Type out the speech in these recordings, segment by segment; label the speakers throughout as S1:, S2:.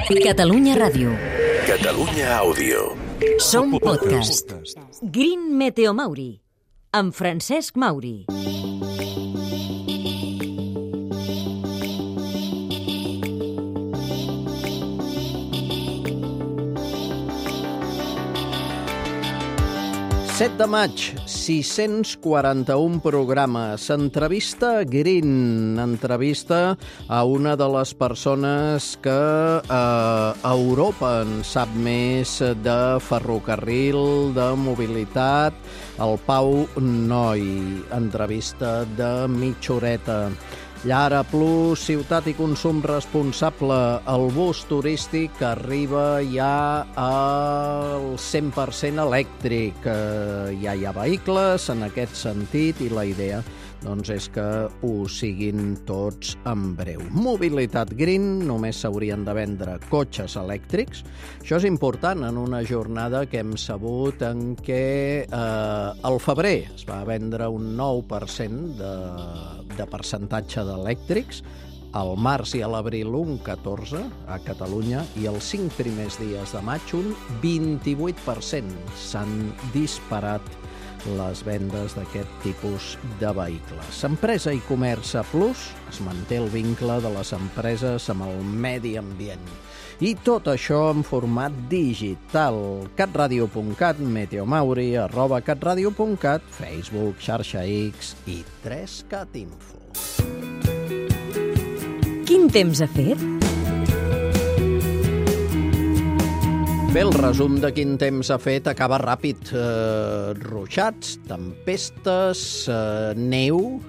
S1: Catalunya Ràdio.
S2: Catalunya Àudio.
S1: Som podcast. Green Meteo Mauri, amb Francesc Mauri.
S3: Set de maig, 641 programes. Entrevista Green, entrevista a una de les persones que a Europa en sap més de ferrocarril, de mobilitat, el Pau Noi. Entrevista de mitja horeta. Llara Plus, ciutat i consum responsable, el bus turístic que arriba ja al 100% elèctric. Ja hi ha vehicles en aquest sentit i la idea és que ho siguin tots en breu. Mobilitat Green, només s'haurien de vendre cotxes elèctrics. Això és important en una jornada que hem sabut en què al febrer es va vendre un 9% de percentatge d'elèctrics, al març i a l'abril un 14% a Catalunya i els 5 primers dies de maig un 28%. S'han disparat les vendes d'aquest tipus de vehicles. Empresa i Comerç Plus, es manté el vincle de les empreses amb el medi ambient. I tot això en format digital. catradio.cat, meteomauri, @catradio.cat, Facebook, xarxa X i 3Cat Info.
S1: Quin temps ha fet?
S3: Bé, el resum de quin temps ha fet acaba ràpid. Ruixats, tempestes, neu,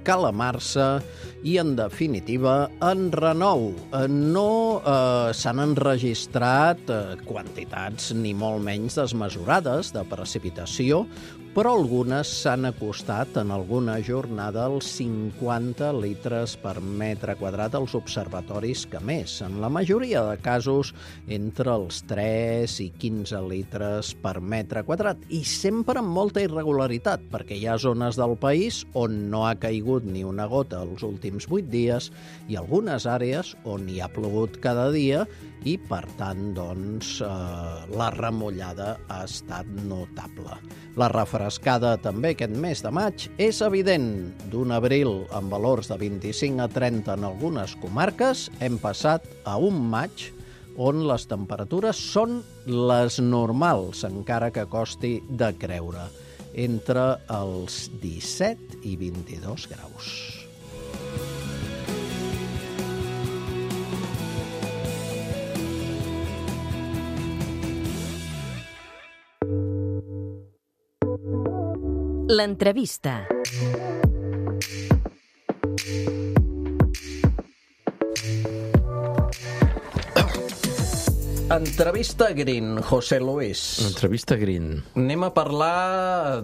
S3: calamarsa i, en definitiva, enrenou. No s'han enregistrat quantitats ni molt menys desmesurades de precipitació, però algunes s'han acostat en alguna jornada als 50 litres per metre quadrat als observatoris que més. En la majoria de casos, entre els 3 i 15 litres per metre quadrat. I sempre amb molta irregularitat, perquè hi ha zones del país on no ha caigut ni una gota els últims 8 dies i algunes àrees on hi ha plogut cada dia i, per tant, la remullada ha estat notable. La refrescada també aquest mes de maig és evident. D'un abril amb valors de 25 a 30 en algunes comarques, hem passat a un maig on les temperatures són les normals, encara que costi de creure, entre els 17 i 22 graus.
S1: L'entrevista.
S3: Entrevista Green, José Luis.
S4: Entrevista Green.
S3: Anem a parlar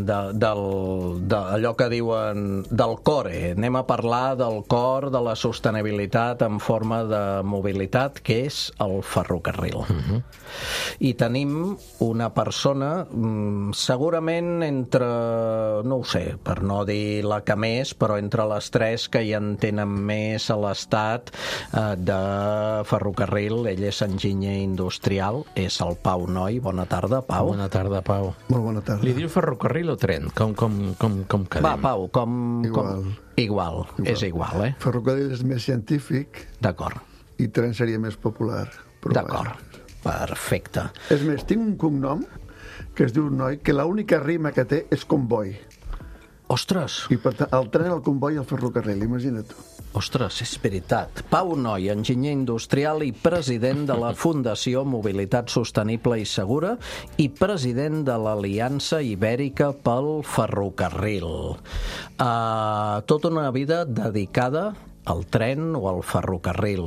S3: d'allò que diuen del core. Anem a parlar del cor de la sostenibilitat en forma de mobilitat, que és el ferrocarril. I tenim una persona, segurament entre, no ho sé, per no dir la que més, però entre les 3 que hi en tenen més a l'estat de ferrocarril. Ell és enginyer industrial, és el Pau Noi. Bona tarda, Pau.
S4: Bona tarda, Pau.
S5: Molt bona tarda.
S4: Li diu ferrocarril o tren? Com quedem?
S3: Va, Pau,
S5: Igual.
S3: Igual, és igual, eh?
S5: Ferrocarril és més científic.
S3: D'acord.
S5: I tren seria més popular.
S3: D'acord, perfecte.
S5: És més, tinc un cognom que es diu Noi, que l'única rima que té és comboi.
S3: Ostres!
S5: I per tant, el tren, el comboi i el ferrocarril, imagina't tu.
S3: Ostres, és veritat. Pau Noi, enginyer industrial i president de la Fundació Mobilitat Sostenible i Segura i president de l'Aliança Ibèrica pel Ferrocarril. Tota una vida dedicada al tren o al ferrocarril.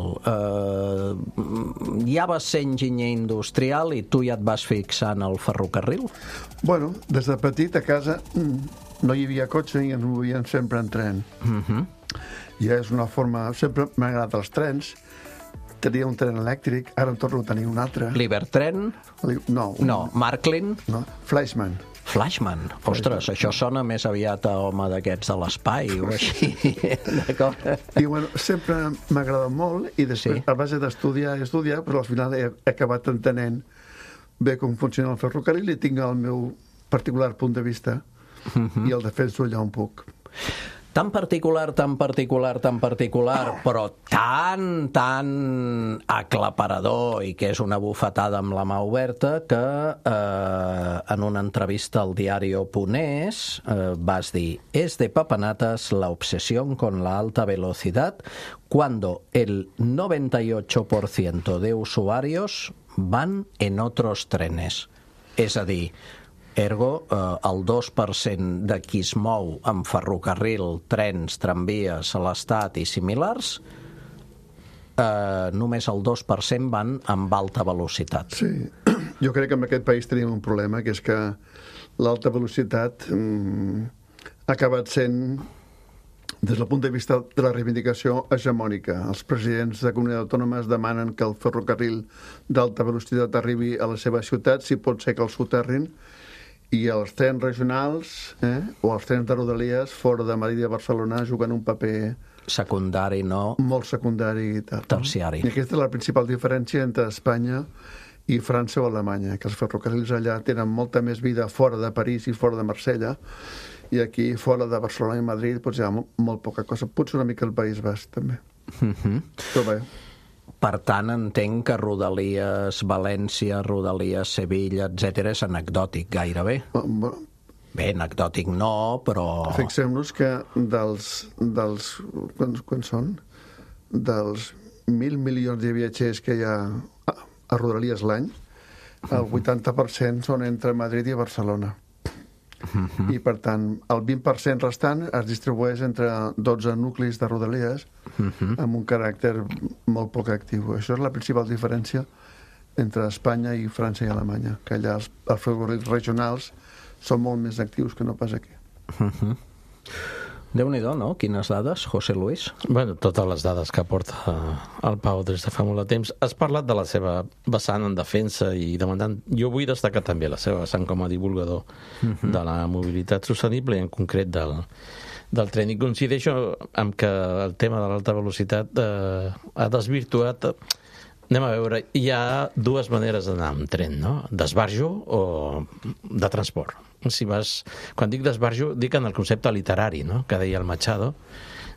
S3: Ja vas ser enginyer industrial i tu ja et vas fixar en el ferrocarril?
S5: Bueno, des de petit a casa no hi havia cotxe i ens movien sempre en tren. Ja és una forma... Sempre m'ha agradat els trens. Tenia un tren elèctric, ara en torno a tenir un altre.
S3: Libertren?
S5: No.
S3: No. Marklin?
S5: No. Fleischmann.
S3: Flashman. Ostres, això sona més aviat a home d'aquests de l'espai o així. D'acord?
S5: I bueno, sempre m'ha agradat molt i després, a base d'estudiar, però al final he acabat entenent bé com funciona el ferrocarril i tinc el meu particular punt de vista i el defenso allà on puc.
S3: Tan particular, però tan aclaparador i que és una bufetada amb la mà oberta que en una entrevista al diario.es vas dir: «Es de papanatas la obsesión con la alta velocidad cuando el 98% de usuarios van en otros trenes». És a dir, ergo, el 2% de qui es mou amb ferrocarril, trens, tramvies a l'Estat i similars, només el 2% van amb alta velocitat.
S5: Sí, jo crec que en aquest país tenim un problema, que és que l'alta velocitat ha acabat sent, des del punt de vista de la reivindicació, hegemònica. Els presidents de comunitats autònomes demanen que el ferrocarril d'alta velocitat arribi a la seva ciutat, si pot ser que el soterrin, i els trens regionals o els trens de Rodalies fora de Madrid i de Barcelona juguen un paper
S3: secundari, no?
S5: Molt secundari i tal.
S3: Terciari.
S5: I aquesta és la principal diferència entre Espanya i França o Alemanya, que els ferrocarrils allà tenen molta més vida fora de París i fora de Marsella, i aquí fora de Barcelona i Madrid doncs hi ha molt poca cosa. Potser una mica el País Basc, també. Però bé.
S3: Per tant, entenc que Rodalies València, Rodalies Sevilla, etc. és anecdòtic gairebé. Bé, anecdòtic no, però...
S5: Fixem-nos que quan són? Dels 1.000 milions de viatgers que hi ha a Rodalies l'any, el 80% són entre Madrid i Barcelona. I, per tant, el 20% restant es distribueix entre 12 nuclis de Rodalies amb un caràcter molt poc actiu. Això és la principal diferència entre Espanya i França i Alemanya, que allà els ferrocarrils regionals són molt més actius que no pas aquí.
S3: Déu-n'hi-do, no? Quines dades, José Luis?
S4: Bueno, totes les dades que aporta el Pau des de fa molt de temps. Has parlat de la seva vessant en defensa i demandant... Jo vull destacar també la seva vessant com a divulgador de la mobilitat sostenible i en concret del tren. I coincideixo amb que el tema de l'alta velocitat ha desvirtuat... Anem a veure, hi ha dues maneres d'anar amb tren, no? D'esbarjo o de transport. Si vas... Quan dic d'esbarjo, dic en el concepte literari, no?, que deia el Machado,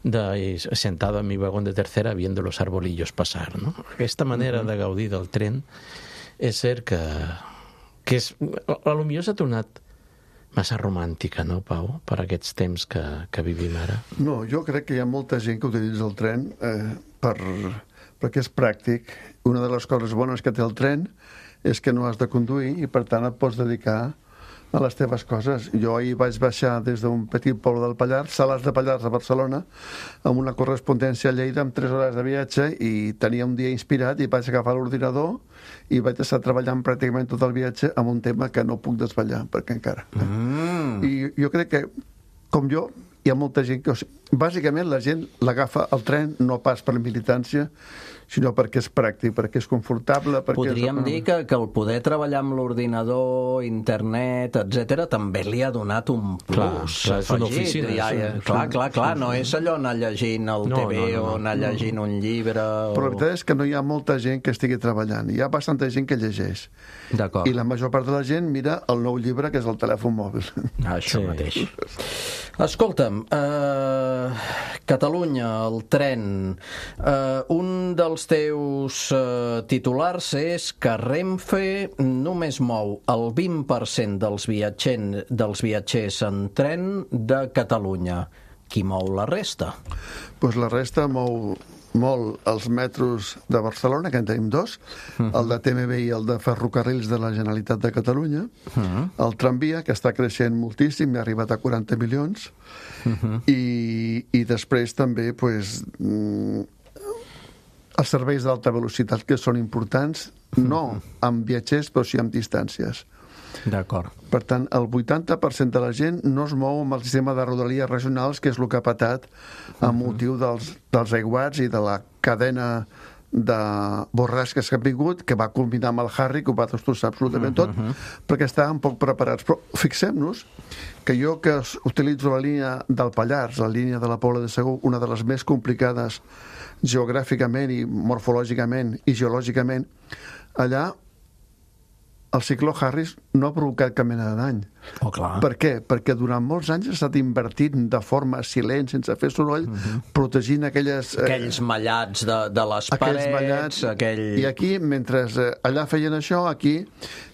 S4: de sentado en mi vagón de tercera viendo los arbolillos pasar, no? Aquesta manera de gaudir del tren és cert que és... Potser s'ha tornat massa romàntica, no, Pau, per aquests temps que vivim ara?
S5: No, jo crec que hi ha molta gent que utilitza el tren perquè és pràctic. Una de les coses bones que té el tren és que no has de conduir i, per tant, et pots dedicar a les teves coses. Jo ahir vaig baixar des d'un petit poble del Pallars, Salàs de Pallars, a Barcelona, amb una correspondència a Lleida amb 3 hores de viatge, i tenia un dia inspirat i vaig agafar l'ordinador i vaig estar treballant pràcticament tot el viatge amb un tema que no puc desvetllar, perquè encara. I jo crec que, com jo, hi ha molta gent que... Bàsicament, la gent l'agafa el tren no pas per militància, sinó perquè és pràctic, perquè és confortable...
S3: Podríem dir que el poder treballar amb l'ordinador, internet, etc., també li ha donat un plus.
S4: Clar, és una oficina.
S3: Clar, no és allò anar llegint el TV o anar llegint un llibre...
S5: Però la veritat és que no hi ha molta gent que estigui treballant. Hi ha bastanta gent que llegeix.
S3: D'acord.
S5: I la major part de la gent mira el nou llibre, que és el telèfon mòbil.
S3: Això mateix. Escolta'm, Catalunya, el tren, un dels teus titulars és que Renfe només mou el 20% dels viatgers en tren de Catalunya. Qui mou la resta?
S5: Doncs la resta mou molt els metros de Barcelona, que en tenim 2, el de TMB i el de Ferrocarrils de la Generalitat de Catalunya, el tramvia, que està creixent moltíssim, ha arribat a 40 milions, i després també els serveis d'alta velocitat, que són importants, no amb viatgers, però sí amb distàncies.
S3: D'acord.
S5: Per tant, el 80% de la gent no es mou amb el sistema de rodalies regionals, que és el que ha patat amb motiu dels aiguats i de la cadena de borrasques que han vingut, que va combinar amb el Harry, que ho va destrossar absolutament tot, perquè estàvem poc preparats. Però fixem-nos que jo que utilitzo la línia del Pallars, la línia de la Pobla de Segur, una de les més complicades geogràficament i morfològicament i geològicament, allà el cicló Harris no ha provocat cap mena de dany.
S3: Oh, clar.
S5: Per què? Perquè durant molts anys ha estat invertint de forma silent, sense fer soroll, protegint aquells
S3: mallats de les parets...
S5: Mallats. I aquí, mentre allà feien això, aquí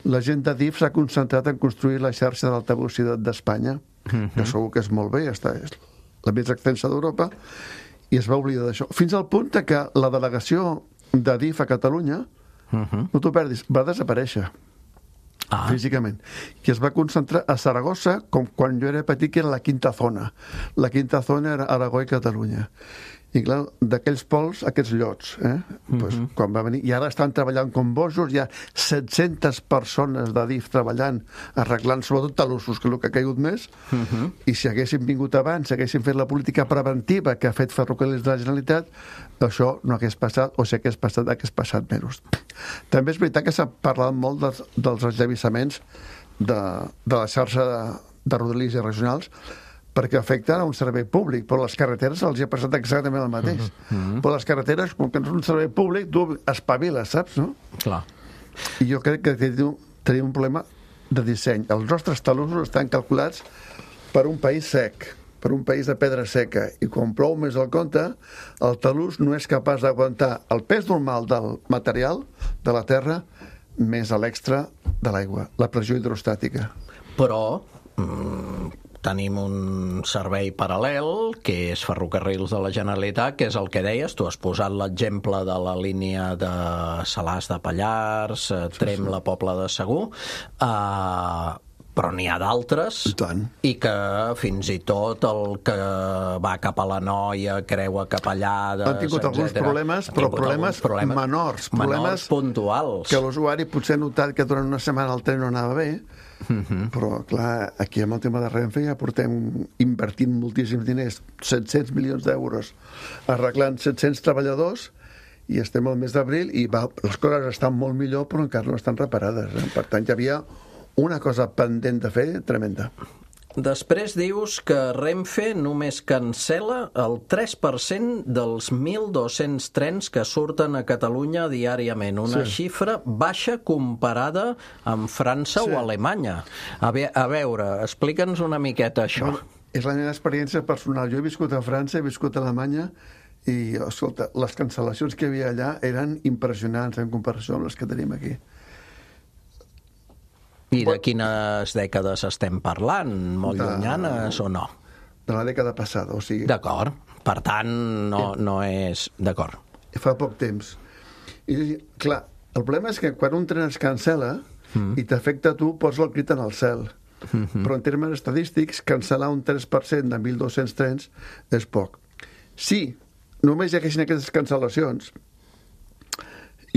S5: la gent de DIF s'ha concentrat en construir la xarxa d'alta velocitat d'Espanya, que segur que és molt bé, és la més extensa d'Europa, i es va oblidar d'això. Fins al punt que la delegació de DIF a Catalunya, no t'ho perdis, va desaparèixer. Físicament, que es va concentrar a Saragossa, com quan jo era petit, que era la quinta zona. La quinta zona era Aragó i Catalunya. I clar, d'aquells pols, aquests llots, pues, quan va venir, i ara estan treballant com bojos, hi ha 700 persones de DIF treballant, arreglant sobretot talussos, que és el que ha caigut més, i si haguessin vingut abans, si haguessin fet la política preventiva que ha fet Ferrocarrils de la Generalitat, això no hagués passat, o si hagués passat menys. També és veritat que s'ha parlat molt dels esllevissaments de la xarxa de rodalies i regionals, perquè afecten a un servei públic, però les carreteres els hi ha passat exactament el mateix. Però les carreteres, com que no és un servei públic, tu espaviles, saps, no?
S3: Clar.
S5: I jo crec que tenim un problema de disseny. Els nostres talussos estan calculats per un país sec, per un país de pedra seca, i quan plou més al compte, el talús no és capaç d'aguantar el pes normal del material de la terra més a l'extra de l'aigua, la pressió hidrostàtica.
S3: Però tenim un servei paral·lel, que és Ferrocarrils de la Generalitat, que és el que deies, tu has posat l'exemple de la línia de Salàs de Pallars, Trem, la Pobla de Segur, però n'hi ha d'altres, i que fins i tot el que va cap a la Noia, creua cap allà...
S5: Han tingut alguns problemes, però problemes menors, problemes
S3: puntuals,
S5: que l'usuari potser ha notat que durant una setmana el tren no anava bé, però clar, aquí amb el tema de Renfe ja portem invertint moltíssims diners, 700 milions d'euros, arreglant 700 treballadors, i estem al mes d'abril i les coses estan molt millor, però encara no estan reparades. Per tant, hi havia una cosa pendent de fer tremenda.
S3: Després dius que Renfe només cancela el 3% dels 1.200 trens que surten a Catalunya diàriament. Una xifra baixa comparada amb França o Alemanya. A veure, explica'ns una miqueta això.
S5: És la meva experiència personal. Jo he viscut a França, he viscut a Alemanya, i, escolta, les cancel·lacions que hi havia allà eren impressionants en comparació amb les que tenim aquí.
S3: I de quines dècades estem parlant? Molt llunyanes o no?
S5: De la dècada passada, o sigui...
S3: D'acord. Per tant, no és... D'acord.
S5: Fa poc temps. I, clar, el problema és que quan un tren es cancela i t'afecta a tu, posa el crit en el cel. Però en termes estadístics, cancel·lar un 3% de 1.200 trens és poc. Si només hi haguessin aquestes cancel·lacions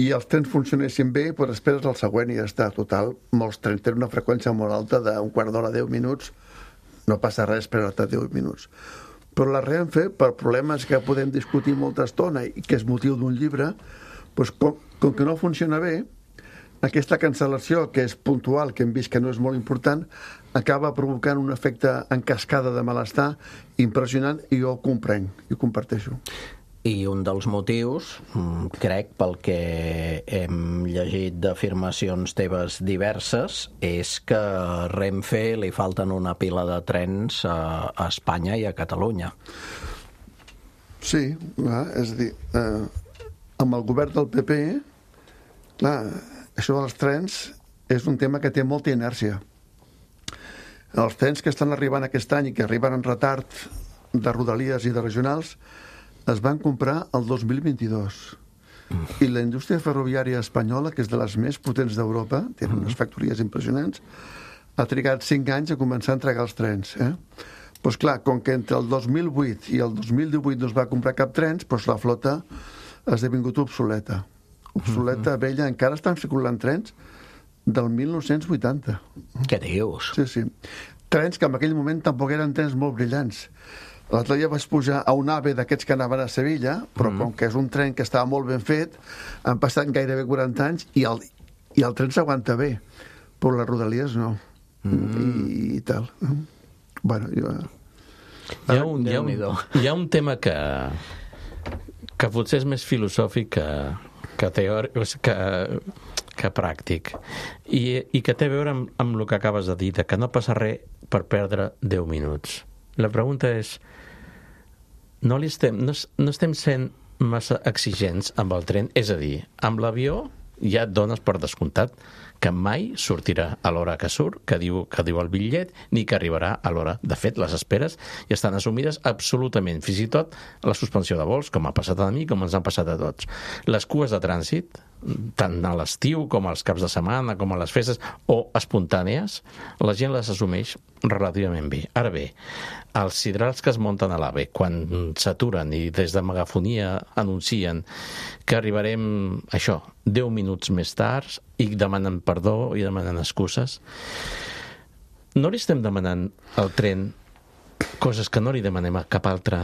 S5: i els trens funcionessin bé, doncs esperes el següent i ja està. Total, molts trens tenen una freqüència molt alta d'un quart d'hora, 10 minuts, no passa res esperar-te 10 minuts. Però la Renfe, per problemes que podem discutir molta estona i que és motiu d'un llibre, doncs com que no funciona bé, aquesta cancel·lació, que és puntual, que hem vist que no és molt important, acaba provocant un efecte en cascada de malestar impressionant, i jo ho comprenc i ho comparteixo.
S3: I un dels motius, crec, pel que hem llegit d'afirmacions teves diverses, és que a Renfe li falten una pila de trens a Espanya i a Catalunya.
S5: Sí, és a dir, amb el govern del PP, clar, això dels trens és un tema que té molta inèrcia. Els trens que estan arribant aquest any i que arriben en retard de rodalies i de regionals es van comprar el 2022. I la indústria ferroviària espanyola, que és de les més potents d'Europa, té unes factories impressionants, ha trigat 5 anys a començar a entregar els trens. Doncs clar, com que entre el 2008 i el 2018 no es va comprar cap trens, doncs la flota ha esdevingut obsoleta. Obsoleta, vella, encara estan circulant trens del 1980.
S3: Què dius?
S5: Sí. Trens que en aquell moment tampoc eren trens molt brillants. L'altre dia vaig pujar a un AVE d'aquests que anaven a Sevilla, però com que és un tren que estava molt ben fet, han passat gairebé 40 anys i el tren s'aguanta bé, però les rodalies no. I tal. Bueno,
S4: hi ha un tema que potser és més filosòfic que teòric, que pràctic, i que té a veure amb el que acabes de dir, que no passa res per perdre 10 minuts. La pregunta és, no estem sent massa exigents amb el tren? És a dir, amb l'avió ja et dones per descomptat que mai sortirà a l'hora que surt, que diu el bitllet, ni que arribarà a l'hora. De fet, les esperes ja estan assumides absolutament, fins i tot la suspensió de vols, com ha passat a mi, com ens han passat a tots. Les cues de trànsit, tant a l'estiu com als caps de setmana, com a les festes, o espontànies, la gent les assumeix relativament bé. Ara bé, els sidrals que es munten a l'AVE, quan s'aturen i des de megafonia anuncien que arribarem, 10 minuts més tard, i demanen perdó i demanen excuses, no li estem demanant al tren coses que no li demanem a cap altre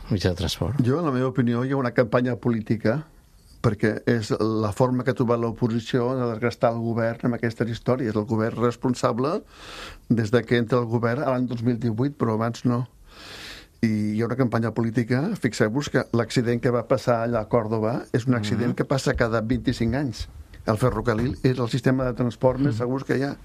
S4: mitjà de transport?
S5: Jo, en la meva opinió, hi ha una campanya política perquè és la forma que ha trobat l'oposició de desgastar el govern amb aquestes històries. El govern responsable des que entra el govern l'any 2018, però abans no. I hi ha una campanya política, fixeu-vos que l'accident que va passar allà a Còrdova és un accident que passa cada 25 anys. El ferrocarril és el sistema de transport més segur que hi ha.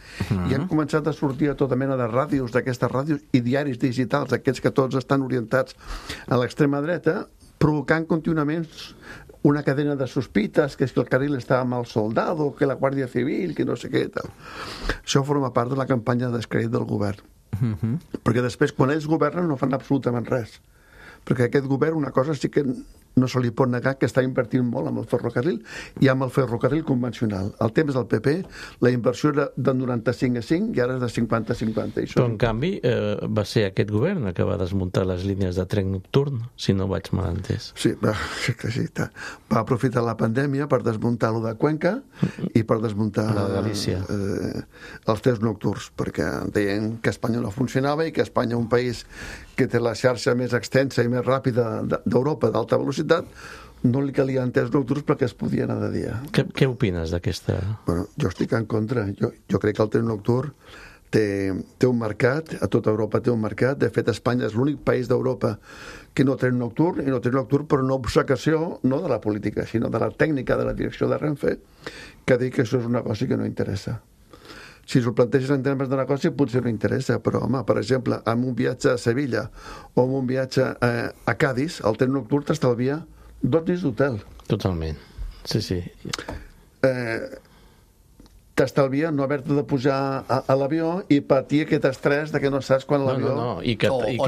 S5: I han començat a sortir a tota mena de ràdios, d'aquestes ràdios i diaris digitals, aquests que tots estan orientats a l'extrema dreta, provocant contínuament una cadena de sospites, que és que el carril estava mal soldado, que la Guàrdia Civil, que no sé què, tal. Això forma part de la campanya de descrèdit del govern. Perquè després, quan ells governen, no fan absolutament res. Perquè aquest govern, una cosa sí que no se li pot negar, que està invertint molt amb el ferrocarril i amb el ferrocarril convencional. Al temps del PP, la inversió era de 95-5 i ara és de 50-50.
S4: Però, en canvi, va ser aquest govern que va desmuntar les línies de tren nocturn, si no vaig mal entès.
S5: Sí, va aprofitar la pandèmia per desmuntar-lo de Cuenca i per desmuntar
S4: la de Galícia.
S5: Els trens nocturns, perquè deien que Espanya no funcionava i que Espanya, un país que té la xarxa més extensa i més ràpida d'Europa d'alta velocitat, no li calien trens nocturns perquè es podia anar de dia.
S4: Què opines d'aquesta?
S5: Bueno, jo estic en contra. Jo crec que el tren nocturn té un mercat, a tota Europa té un mercat. De fet, Espanya és l'únic país d'Europa que no té nocturn, i no té nocturn per una obcecació, no de la política, sinó de la tècnica de la direcció de Renfe, que diu que això és un negoci que no interessa. Si s'ho planteges en termes de negoci, potser no interessa, però, home, per exemple, amb un viatge a Sevilla o amb un viatge a Cádiz, el tren nocturn t'estalvia 2 nits d'hotel.
S4: Totalment, sí.
S5: T'estalvia no haver-te de pujar a l'avió i patir aquest estrès de que no saps quan l'avió...
S3: O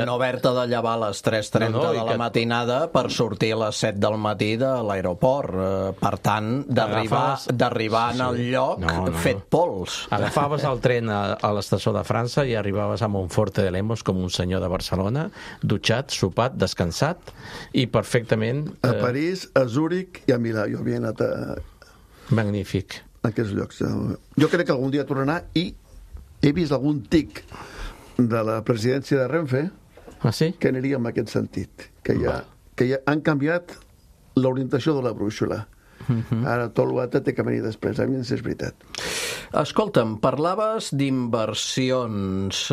S3: no haver-te de llevar a les 3:30 de la matinada per sortir a les 7 del matí de l'aeroport. Per tant, d'arribar en el lloc fet pols.
S4: Agafaves el tren a l'estació de França i arribaves a Monforte de Lemos com un senyor de Barcelona, dutxat, sopat, descansat i perfectament...
S5: A París, a Zúrich i a Milà. Jo havia anat a...
S4: Magnífic.
S5: Aquests llocs. Jo crec que algun dia tornarà i he vist algun tic de la presidència de Renfe que aniria en aquest sentit, que ja han canviat l'orientació de la brúixola. Ara tot l'altre té que venir després, a mi és veritat.
S3: Escolta'm, parlaves d'inversions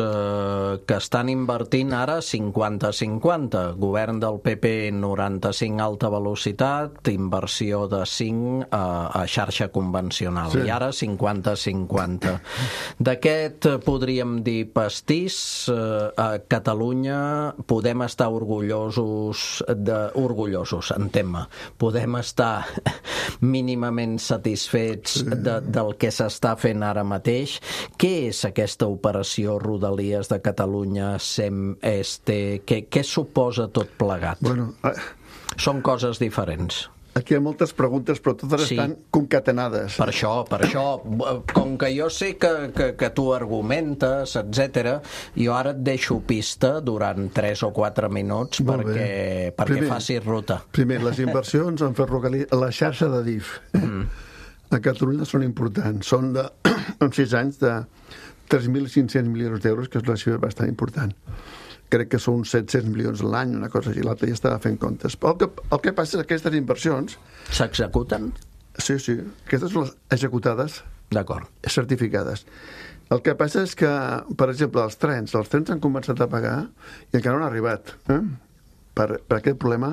S3: que estan invertint ara 50-50. Govern del PP 95 alta velocitat, inversió de 5 a xarxa convencional. Sí. I ara 50-50. D'aquest podríem dir pastís. A Catalunya podem estar orgullosos, entén-me, podem estar mínimament satisfets del que s'està fent ara mateix. Què és aquesta operació Rodalies de Catalunya SEM-ESTE? Què suposa tot plegat?
S5: Bueno,
S3: són coses diferents.
S5: Aquí hi ha moltes preguntes, però totes estan concatenades.
S3: Per això, com que jo sé que tu argumentes, etc., jo ara et deixo pista durant 3 o 4 minuts perquè facis ruta.
S5: Primer, les inversions en ferrocarril, la xarxa de DIF a Catalunya són importants. Són en 6 anys de 3.500 milions d'euros, que és una xifra bastant important. crec que són uns 700 milions l'any, una cosa així, l'altre ja estava fent comptes. Però el que passa és que aquestes inversions...
S3: S'executen?
S5: Sí, aquestes són les executades,
S3: D'acord.
S5: certificades. El que passa és que, per exemple, els trens han començat a pagar i encara no han arribat per aquest problema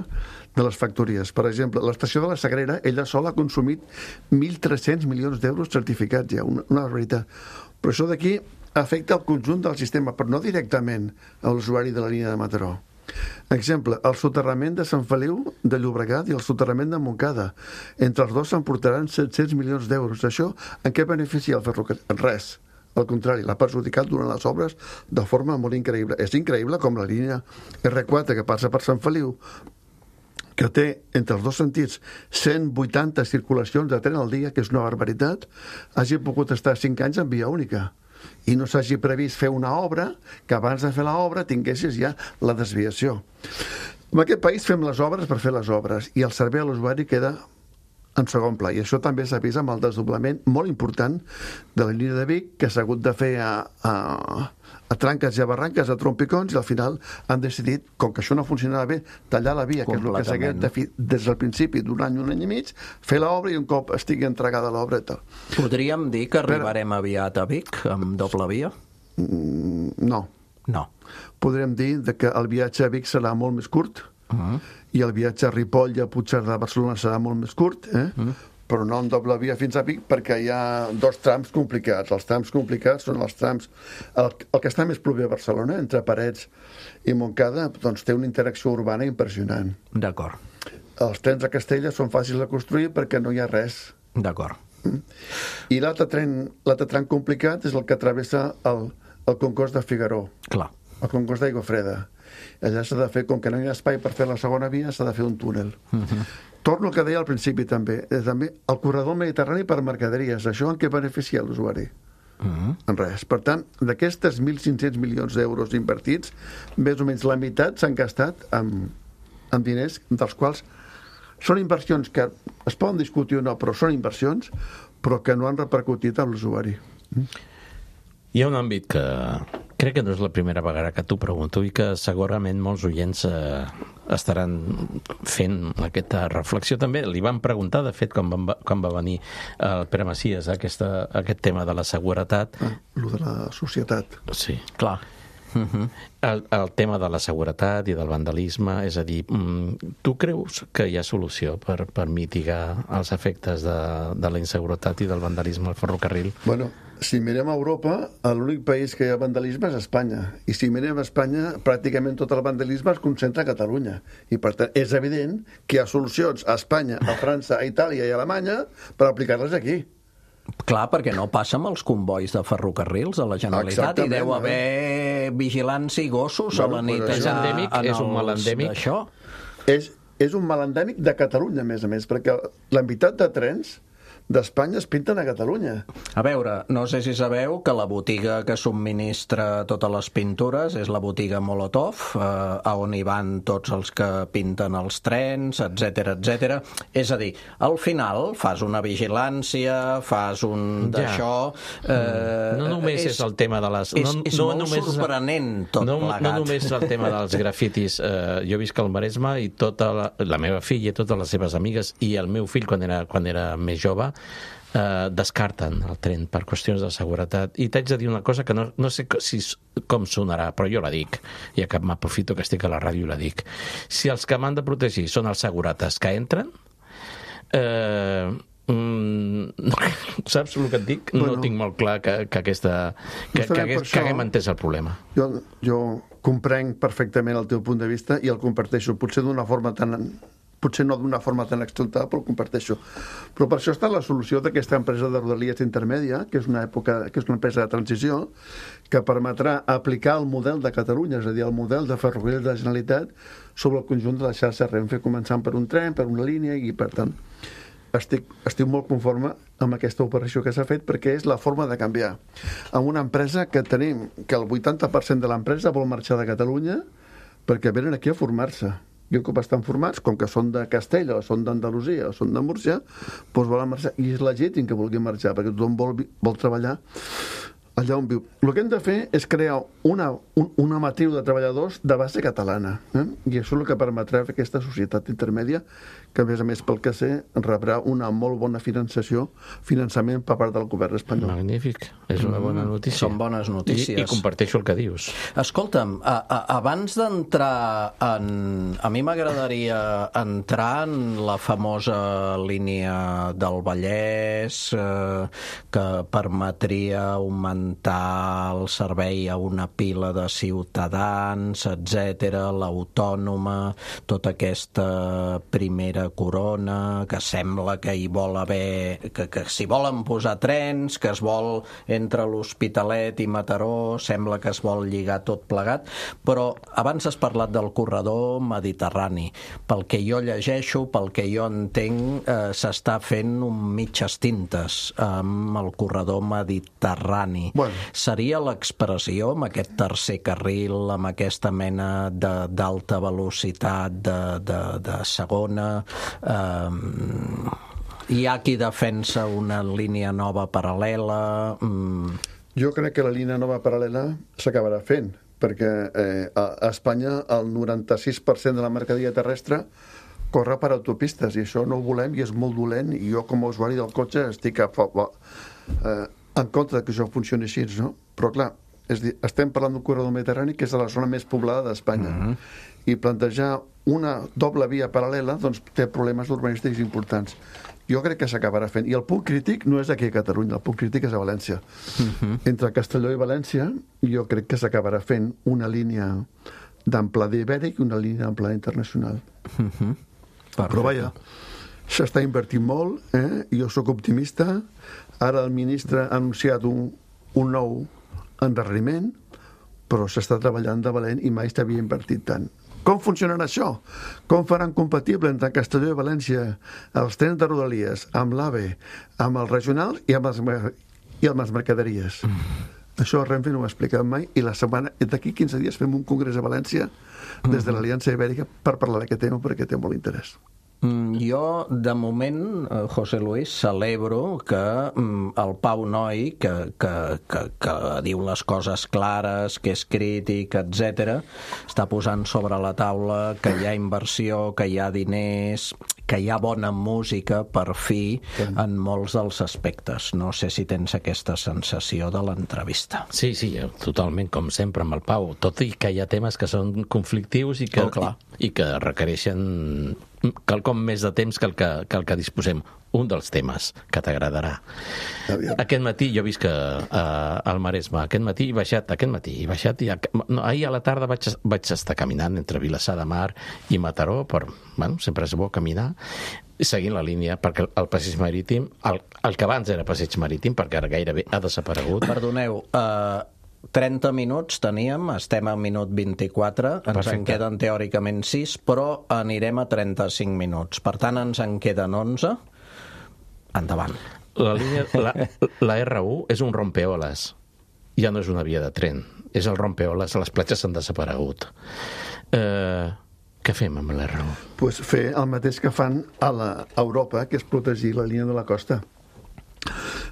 S5: de les factories. Per exemple, l'estació de la Sagrera, ella sola ha consumit 1.300 milions d'euros certificats ja, una barbaritat. Però això d'aquí afecta el conjunt del sistema, però no directament a l'usuari de la línia de Mataró. Exemple, el soterrament de Sant Feliu de Llobregat i el soterrament de Montcada. Entre els dos s'emportaran 700 milions d'euros. Això en què beneficia el ferrocarril? Res. Al contrari, l'ha perjudicat durant les obres de forma molt increïble. És increïble com la línia R4 que passa per Sant Feliu, que té entre els dos sentits 180 circulacions de tren al dia, que és una barbaritat, hagi pogut estar 5 anys en via única i no s'hagi previst fer una obra que abans de fer l'obra tinguessis ja la desviació. En aquest país fem les obres per fer les obres i el servei a l'usuari queda en segon pla, i això també s'ha vist amb el desdoblament molt important de la línia de Vic, que s'ha hagut de fer a tranques i a barranques, a trompicons, i al final han decidit, com que això no funcionava bé, tallar la via, que és el que s'ha de fer des del principi d'un any i mig, fer l'obra i un cop estigui entregada l'obra i tal.
S3: Podríem dir que arribarem aviat a Vic amb doble via?
S5: No.
S3: No.
S5: Podríem dir que el viatge a Vic serà molt més curt, i el viatge a Ripoll i a Puigcerdà a Barcelona serà molt més curt, però no en doble via fins a Vic, perquè hi ha 2 trams complicats. Els trams complicats són els trams... El que està més proper a Barcelona, entre Parets i Montcada, doncs té una interacció urbana impressionant.
S3: D'acord.
S5: Els trens a Castella són fàcils de construir perquè no hi ha res.
S3: D'acord.
S5: I l'altre tram complicat és el que travessa el concours de Figaró.
S3: Clar.
S5: El concours d'Aigua Freda. Allà s'ha de fer, com que no hi ha espai per fer la segona via, s'ha de fer un túnel. Torno al que deia al principi també. També el corredor mediterrani per mercaderies. Això en què beneficia l'usuari? En res. Per tant, d'aquestes 1.500 milions d'euros invertits, més o menys la meitat s'han gastat amb diners, dels quals són inversions que es poden discutir o no, però són inversions, però que no han repercutit amb l'usuari.
S4: Hi ha un àmbit que crec que no és la primera vegada que t'ho pregunto i que segurament molts oients estaran fent aquesta reflexió també. Li vam preguntar, de fet, quan va venir el Pere Macias aquest tema de la seguretat.
S5: Lo de la societat.
S4: Sí.
S3: Clar.
S4: El tema de la seguretat i del vandalisme, és a dir, tu creus que hi ha solució per mitigar els efectes de la inseguretat i del vandalisme al ferrocarril?
S5: Bueno, si mirem a Europa, l'únic país que hi ha vandalisme és Espanya. I si mirem a Espanya, pràcticament tot el vandalisme es concentra a Catalunya. I per tant, és evident que hi ha solucions a Espanya, a França, a Itàlia i a Alemanya per aplicar-les aquí.
S3: Clar, perquè no passa amb els convois de ferrocarrils a la Generalitat. Exactament, i deu haver vigilància i gossos a la nit.
S4: És endèmic? És un mal endèmic?
S5: És un mal endèmic de Catalunya, a més, perquè la meitat de trens d'Espanya es pinten a Catalunya.
S3: A veure, no sé si sabeu que la botiga que subministra totes les pintures és la botiga Molotov, a on hi van tots els que pinten els trens, etc etc. És a dir, al final fas una vigilància, fas un d'això...
S4: No només és el tema de les...
S3: És molt sorprenent tot plegat.
S4: No només el tema dels grafitis. Jo visc al Maresme i tota la meva filla i totes les seves amigues i el meu fill quan era més jove descarten el tren per qüestions de seguretat. I t'haig de dir una cosa que no sé com sonarà, però jo la dic, ja que m'aprofito que estic a la ràdio i la dic. Si els que m'han de protegir són els segurates que entren, saps el que et dic? No tinc molt clar que haguem entès el problema.
S5: Jo comprenc perfectament el teu punt de vista i el comparteixo, potser no d'una forma tan exaltada, però ho comparteixo. Però per això està la solució d'aquesta empresa de Rodalies intermèdia, que és una empresa de transició, que permetrà aplicar el model de Catalunya, és a dir, el model de ferrocarril de la Generalitat sobre el conjunt de la xarxa Renfe, començant per un tren, per una línia, i per tant estic molt conforme amb aquesta operació que s'ha fet perquè és la forma de canviar. Amb una empresa que tenim que el 80% de l'empresa vol marxar de Catalunya perquè venen aquí a formar-se. I un cop estan formats, com que són de Castella, o són d'Andalusia, o són de Múrcia, doncs volen marxar. I és legítim que vulguin marxar, perquè tothom vol treballar allà on viu. El que hem de fer és crear una matriu de treballadors de base catalana, i això és el que permetrà fer aquesta societat intermèdia, que a més, pel que sé, rebrà una molt bona finançament per part del govern espanyol.
S4: Magnífic, és una bona notícia.
S3: Són bones notícies.
S4: I comparteixo el que dius.
S3: Escolta'm, abans d'entrar en... A mi m'agradaria entrar en la famosa línia del Vallès que permetria augmentar el servei a una pila de ciutadans, etc., l'autònoma, tota aquesta primera corona, que sembla que hi vol haver... que s'hi volen posar trens, que es vol entre l'Hospitalet i Mataró, sembla que es vol lligar tot plegat, però abans has parlat del corredor mediterrani. Pel que jo llegeixo, pel que jo entenc, s'està fent un mitges tintes amb el corredor mediterrani.
S5: Bueno.
S3: Seria l'expressió amb aquest tercer carril, amb aquesta mena d'alta velocitat de segona. Hi ha qui defensa una línia nova paral·lela.
S5: Jo crec que la línia nova paral·lela s'acabarà fent, perquè a Espanya el 96% de la mercaderia terrestre corre per autopistes, i això no ho volem i és molt dolent, i jo com a usuari del cotxe estic en contra que això funcioni així, no? Però clar, estem parlant d'un corredor mediterrani que és la zona més poblada d'Espanya, i plantejar una doble via paral·lela doncs té problemes urbanístics importants. Jo crec que s'acabarà fent, i el punt crític no és aquí a Catalunya, el punt crític és a València. Entre Castelló i València jo crec que s'acabarà fent una línia d'amplada ibèric i una línia d'amplada internacional. Però vaja, s'està invertint molt, jo sóc optimista. Ara el ministre ha anunciat un nou endarreriment, però s'està treballant de valent i mai s'havia invertit tant. Com funcionarà això? Com faran compatible entre Castelló i València els trens de Rodalies amb l'AVE, amb el regional i amb les mercaderies? Això Renfe no ho ha explicat mai, i d'aquí 15 dies fem un congrés a València des de l'Aliança Ibèrica per parlar d'aquest tema, perquè té molt interès.
S3: Jo, de moment, José Luis, celebro que el Pau Noi, que diu les coses clares, que és crític, etc., està posant sobre la taula que hi ha inversió, que hi ha diners, que hi ha bona música, per fi, en molts dels aspectes. No sé si tens aquesta sensació de l'entrevista.
S4: Sí, totalment, com sempre amb el Pau, tot i que hi ha temes que són conflictius i que requereixen quelcom més de temps que el que disposem. Un dels temes que t'agradarà. Aquest matí, jo visc al Maresme, ahir he baixat, ahir a la tarda vaig estar caminant entre Vilassar de Mar i Mataró, sempre és bo caminar, seguint la línia, perquè el passeig marítim, el que abans era passeig marítim, perquè ara gairebé ha desaparegut.
S3: Perdoneu, 30 minuts teníem, estem al minut 24, ens en queden teòricament 6, però anirem a 35 minuts. Per tant, ens en queden 11. Endavant.
S4: La R1 és un rompeoles. Ja no és una via de tren, és el rompeoles, les platges han desaparegut. Què fem amb la R1?
S5: Pues fer el mateix que fan a Europa, que és protegir la línia de la costa.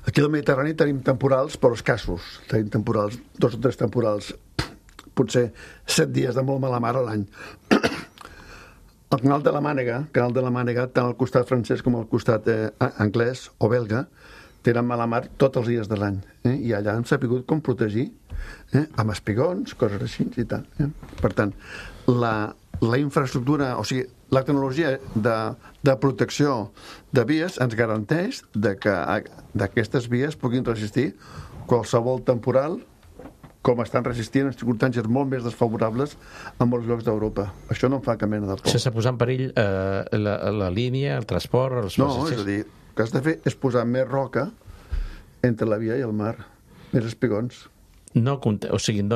S5: Aquí al Mediterrani tenim temporals, però escassos. Tenim temporals, 2 o 3 temporals, potser 7 dies de molt mala mar a l'any. El canal de la Mànega, tant al costat francès com al costat anglès o belga, tenen mala mar tots els dies de l'any. I allà hem sabut com protegir, amb espigons, coses així i tal. Per tant, la infraestructura, o sigui, la tecnologia de protecció de vies ens garanteix que aquestes vies puguin resistir qualsevol temporal, com estan resistint en circumstàncies molt més desfavorables a molts llocs d'Europa. Això no em fa cap mena de por.
S4: Sense posar en perill la línia, el transport, els passatgers?
S5: No, és a dir, el que has de fer és posar més roca entre la via i el mar, més espigons.
S4: No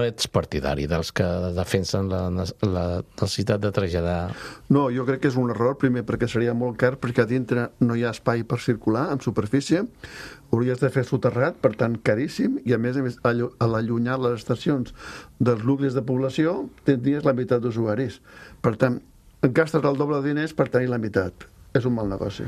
S4: ets partidari dels que defensen la necessitat de traslladar...
S5: No, jo crec que és un error, primer perquè seria molt car, perquè a dintre no hi ha espai per circular en superfície, hauries de fer soterrat, per tant caríssim, i a més a l'allunyar les estacions dels nuclis de població tindries la meitat d'usuaris. Per tant, gastes el doble de diners per tenir la meitat. És un mal negoci.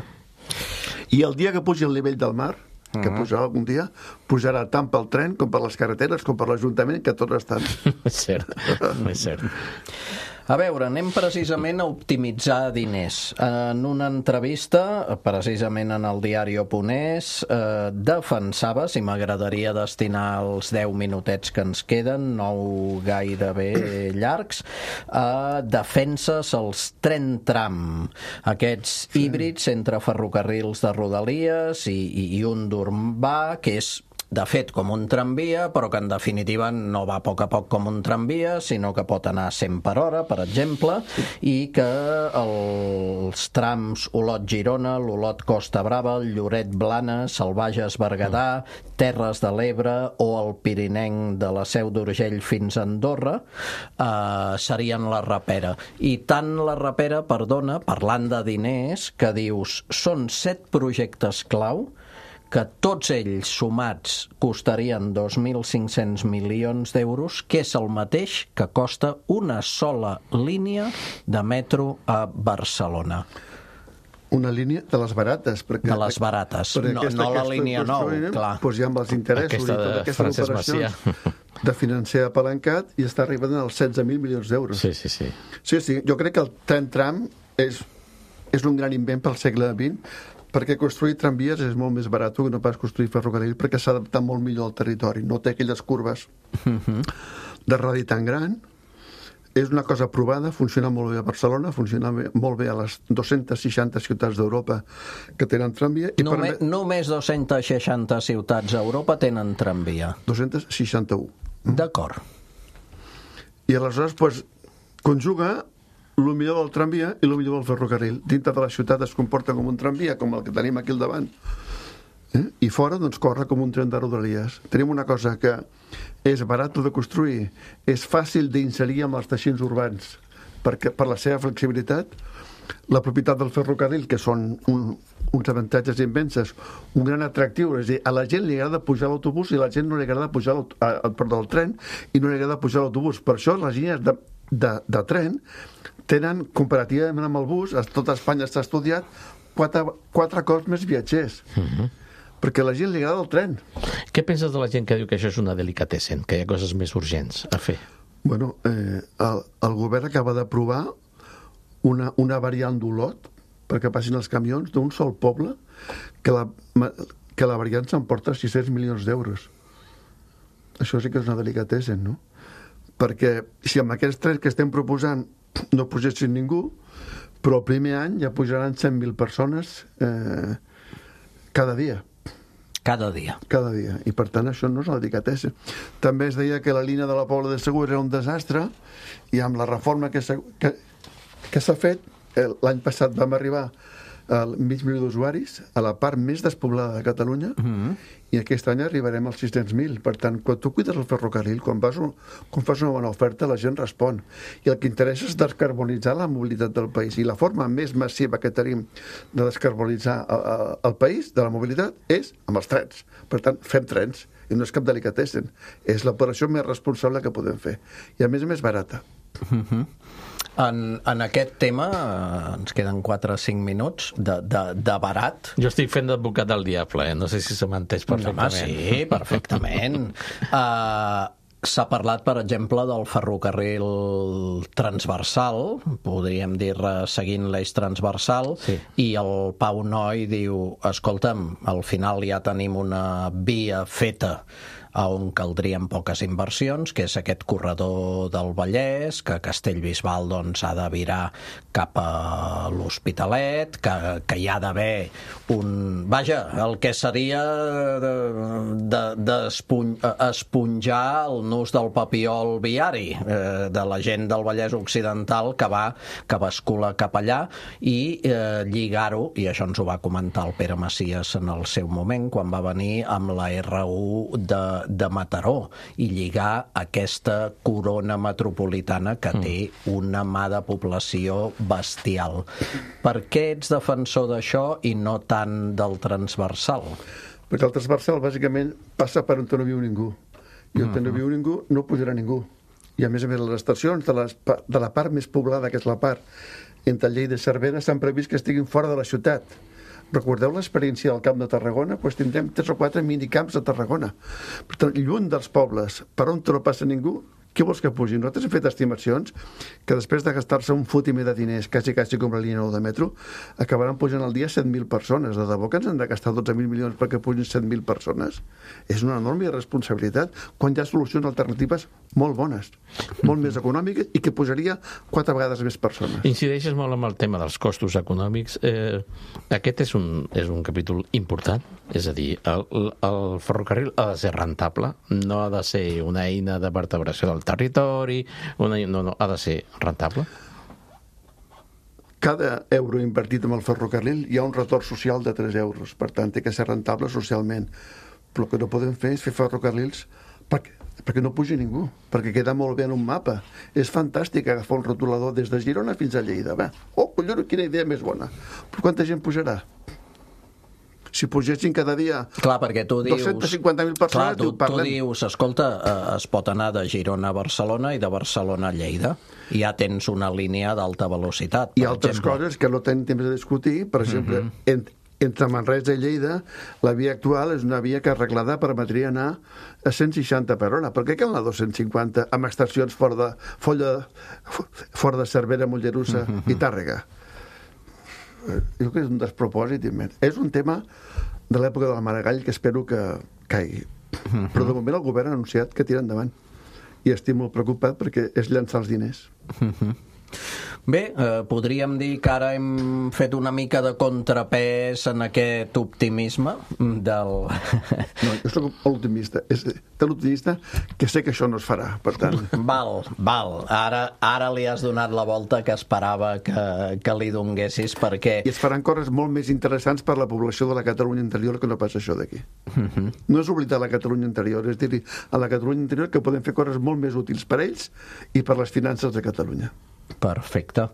S5: I el dia que pugi el nivell del mar, que pujarà algun dia, pujarà tant pel tren com per les carreteres com per l'Ajuntament, que tots estan.
S4: És cert, és cert.
S3: A veure, anem precisament a optimitzar diners. En una entrevista, precisament en el diari Oponès, defensaves, i m'agradaria destinar els 10 minutets que ens queden, no gairebé llargs, defenses els tren tram, aquests híbrids entre ferrocarrils de Rodalies i un d'urbà, que és de fet com un tramvia, però que en definitiva no va a poc com un tramvia, sinó que pot anar a 100 per hora, per exemple, i que els trams Olot-Girona, l'Olot-Costa Brava, el Lloret-Blanes, el Bages-Berguedà, Terres de l'Ebre o el Pirinenc de la Seu d'Urgell fins a Andorra serien la rapera. I tant la rapera, perdona, parlant de diners, que dius, són 7 projectes clau que tots ells sumats costarien 2.500 milions d'euros, que és el mateix que costa una sola línia de metro a Barcelona.
S5: Una línia de les barates. Perquè,
S3: de les barates, no la línia 9, clar.
S5: Doncs ja amb els interessos
S4: aquesta de Francesc Macià
S5: de financer apalancat i està arribant als 16.000 milions d'euros.
S4: Sí.
S5: Sí, jo crec que el tren tram és un gran invent pel segle XX, perquè construir tramvies és molt més barat que no pas construir ferrocarril, perquè s'ha adaptat molt millor al territori, no té aquelles curves de radi tan gran. És una cosa provada, funciona molt bé a Barcelona, funciona molt bé a les 260 ciutats d'Europa que tenen tramvia.
S3: Només 260 ciutats a Europa tenen tramvia.
S5: 261.
S3: D'acord.
S5: I aleshores, conjuga el millor del tramvia i el millor del ferrocarril. Dintre de la ciutat es comporta com un tramvia, com el que tenim aquí al davant. I fora, corre com un tren de Rodalies. Tenim una cosa que és barat de construir, és fàcil d'inserir amb els teixits urbans, perquè per la seva flexibilitat, la propietat del ferrocarril, que són uns avantatges immensos, un gran atractiu, és a dir, a la gent li agrada pujar a l'autobús i a la gent no li agrada pujar al tren i no li agrada pujar a l'autobús. Per això les línies de tren tenen, comparativament amb el bus, a tota Espanya s'ha estudiat, 4 cops més viatgers. Perquè a la gent li agrada el tren.
S4: Què penses de la gent que diu que això és una delicatessen, que hi ha coses més urgents a fer?
S5: Bueno, el govern acaba d'aprovar una variant d'Olot perquè passin els camions d'un sol poble que la variant s'emporta 600 milions d'euros. Això sí que és una delicatessen, no? Perquè si amb aquests trens que estem proposant no pugessin ningú, però el primer any ja pujaran 100.000 persones cada dia.
S3: Cada dia.
S5: Cada dia. I per tant això no és una delicatessa. També es deia que la línia de la Pobla de Segur era un desastre i amb la reforma que s'ha fet, l'any passat vam arribar al mig milió d'usuaris, a la part més despoblada de Catalunya, i aquest any arribarem als 600.000. Per tant, quan tu cuides el ferrocarril, quan fas una bona oferta, la gent respon. I el que interessa és descarbonitzar la mobilitat del país. I la forma més massiva que tenim de descarbonitzar el país, de la mobilitat, és amb els trens. Per tant, fem trens. I no és cap delicatessen. És l'operació més responsable que podem fer. I a més barata.
S3: En aquest tema, ens queden 4 o 5 minuts de barat.
S4: Jo estic fent d'advocat del diable, no sé si se m'entès perfectament.
S3: Sí, perfectament. S'ha parlat, per exemple, del ferrocarril transversal, podríem dir seguint l'eix transversal, sí. I el Pau Noi diu, escolta'm, al final ja tenim una via feta on caldrien poques inversions, que és aquest corredor del Vallès, que Castellbisbal ha de virar cap a l'Hospitalet, que hi ha d'haver el que seria esponjar el nus del papiol viari de la gent del Vallès Occidental que bascula cap allà i lligar-ho, i això ens ho va comentar el Pere Macias en el seu moment, quan va venir amb la R1 de Mataró, i lligar aquesta corona metropolitana que té una mà de població bestial. Per què ets defensor d'això i no tant del transversal?
S5: Perquè el transversal bàsicament passa per on no viu ningú, i on no viu ningú no pujarà ningú, i a més les estacions de la part més poblada, que és la part entre Lleida i Cervera, s'han previst que estiguin fora de la ciutat. Recordeu l'experiència del Camp de Tarragona? Doncs tindrem 3 o 4 minicamps a Tarragona. Per tant, lluny dels pobles, per on no passa ningú, què vols que pugi? Nosaltres hem fet estimacions que després de gastar-se un fotimer de diners, quasi com la línia 9 de metro, acabaran pujant al dia 7.000 persones. De debò que ens han de gastar 12.000 milions perquè pugin 7.000 persones? És una enorme responsabilitat quan hi ha solucions alternatives molt bones, molt més econòmiques i que pujaria 4 vegades més persones.
S4: Incideixes molt amb el tema dels costos econòmics. Aquest és un capítol important, és a dir, el ferrocarril ha de ser rentable, no ha de ser una eina de vertebració del territori, no, ha de ser rentable.
S5: Cada euro invertit en el ferrocarril hi ha un retorn social de 3 euros, per tant, té que ser rentable socialment. Però el que no podem fer és fer ferrocarrils perquè no pugi ningú, perquè queda molt bé en un mapa. És fantàstic agafar un rotulador des de Girona fins a Lleida. Va. Oh, collons, quina idea més bona. Però quanta gent pujarà? Si pugessin cada dia 250.000 persones...
S3: Clar, tu dius, escolta, es pot anar de Girona a Barcelona i de Barcelona a Lleida. I ja tens una línia d'alta velocitat, per
S5: exemple. I altres coses que no tenim temps de discutir, per exemple, entre Manresa i Lleida, la via actual és una via que arreglada permetria anar a 160 per hora. Per què cal anar a 250 amb estacions fora de Cervera, Mollerussa i Tàrrega? Jo crec que és un despropòsit immens. És un tema de l'època del Maragall que espero que caigui. Però de moment el govern ha anunciat que tira endavant. I estic molt preocupat perquè és llançar els diners.
S3: Bé, podríem dir que ara hem fet una mica de contrapès en aquest optimisme del...
S5: No, jo soc molt optimista. És tan optimista que sé que això no es farà, per tant...
S3: Val. Ara li has donat la volta que esperava que li donguessis, perquè...
S5: I es faran coses molt més interessants per la població de la Catalunya interior que no pas això d'aquí. No és oblidar la Catalunya interior, és dir, a la Catalunya interior que podem fer coses molt més útils per ells i per les finances de Catalunya.
S3: Perfecte.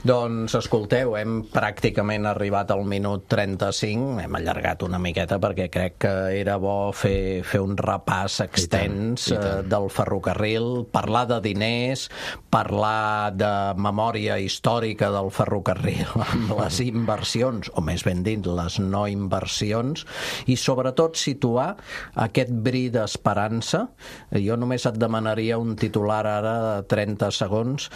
S3: Doncs, escolteu, hem pràcticament arribat al minut 35, hem allargat una miqueta perquè crec que era bo fer un repàs extens del ferrocarril, parlar de diners, parlar de memòria històrica del ferrocarril amb les inversions, o més ben dit, les no inversions, i sobretot situar aquest bri d'esperança. Jo només et demanaria un titular ara de 30 segons,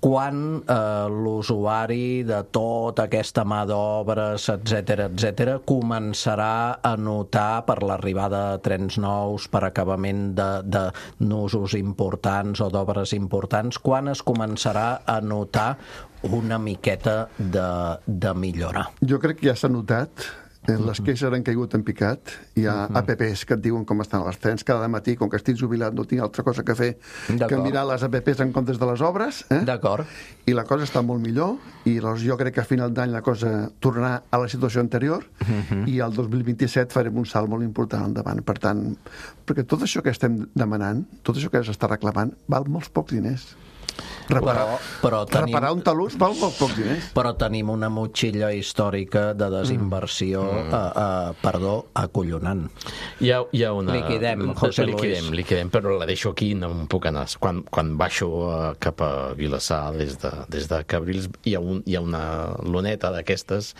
S3: quan l'usuari de tota aquesta mà d'obres, etc., començarà a notar per l'arribada de trens nous, per acabament de nusos importants o d'obres importants, quan es començarà a notar una miqueta de millora?
S5: Jo crec que ja s'ha notat. Les queixes han caigut en picat. Hi ha apps que et diuen com estan els trens cada matí. Com que estic jubilat no tinc altra cosa que fer que mirar les apps en comptes de les obres.
S3: D'acord.
S5: I la cosa està molt millor i jo crec que a final d'any la cosa tornarà a la situació anterior i el 2027 farem un salt molt important endavant. Per tant, perquè tot això que estem demanant, tot això que s'està reclamant, val molts pocs diners. Reparar un talús val molt pocs diners.
S3: Però tenim una motxilla històrica de desinversió acollonant.
S4: Hi ha una...
S3: Liquidem, José Luis.
S4: Liquidem, però la deixo aquí, no em puc anar. Quan baixo cap a Vilassar des de Cabrils hi ha una luneta d'aquestes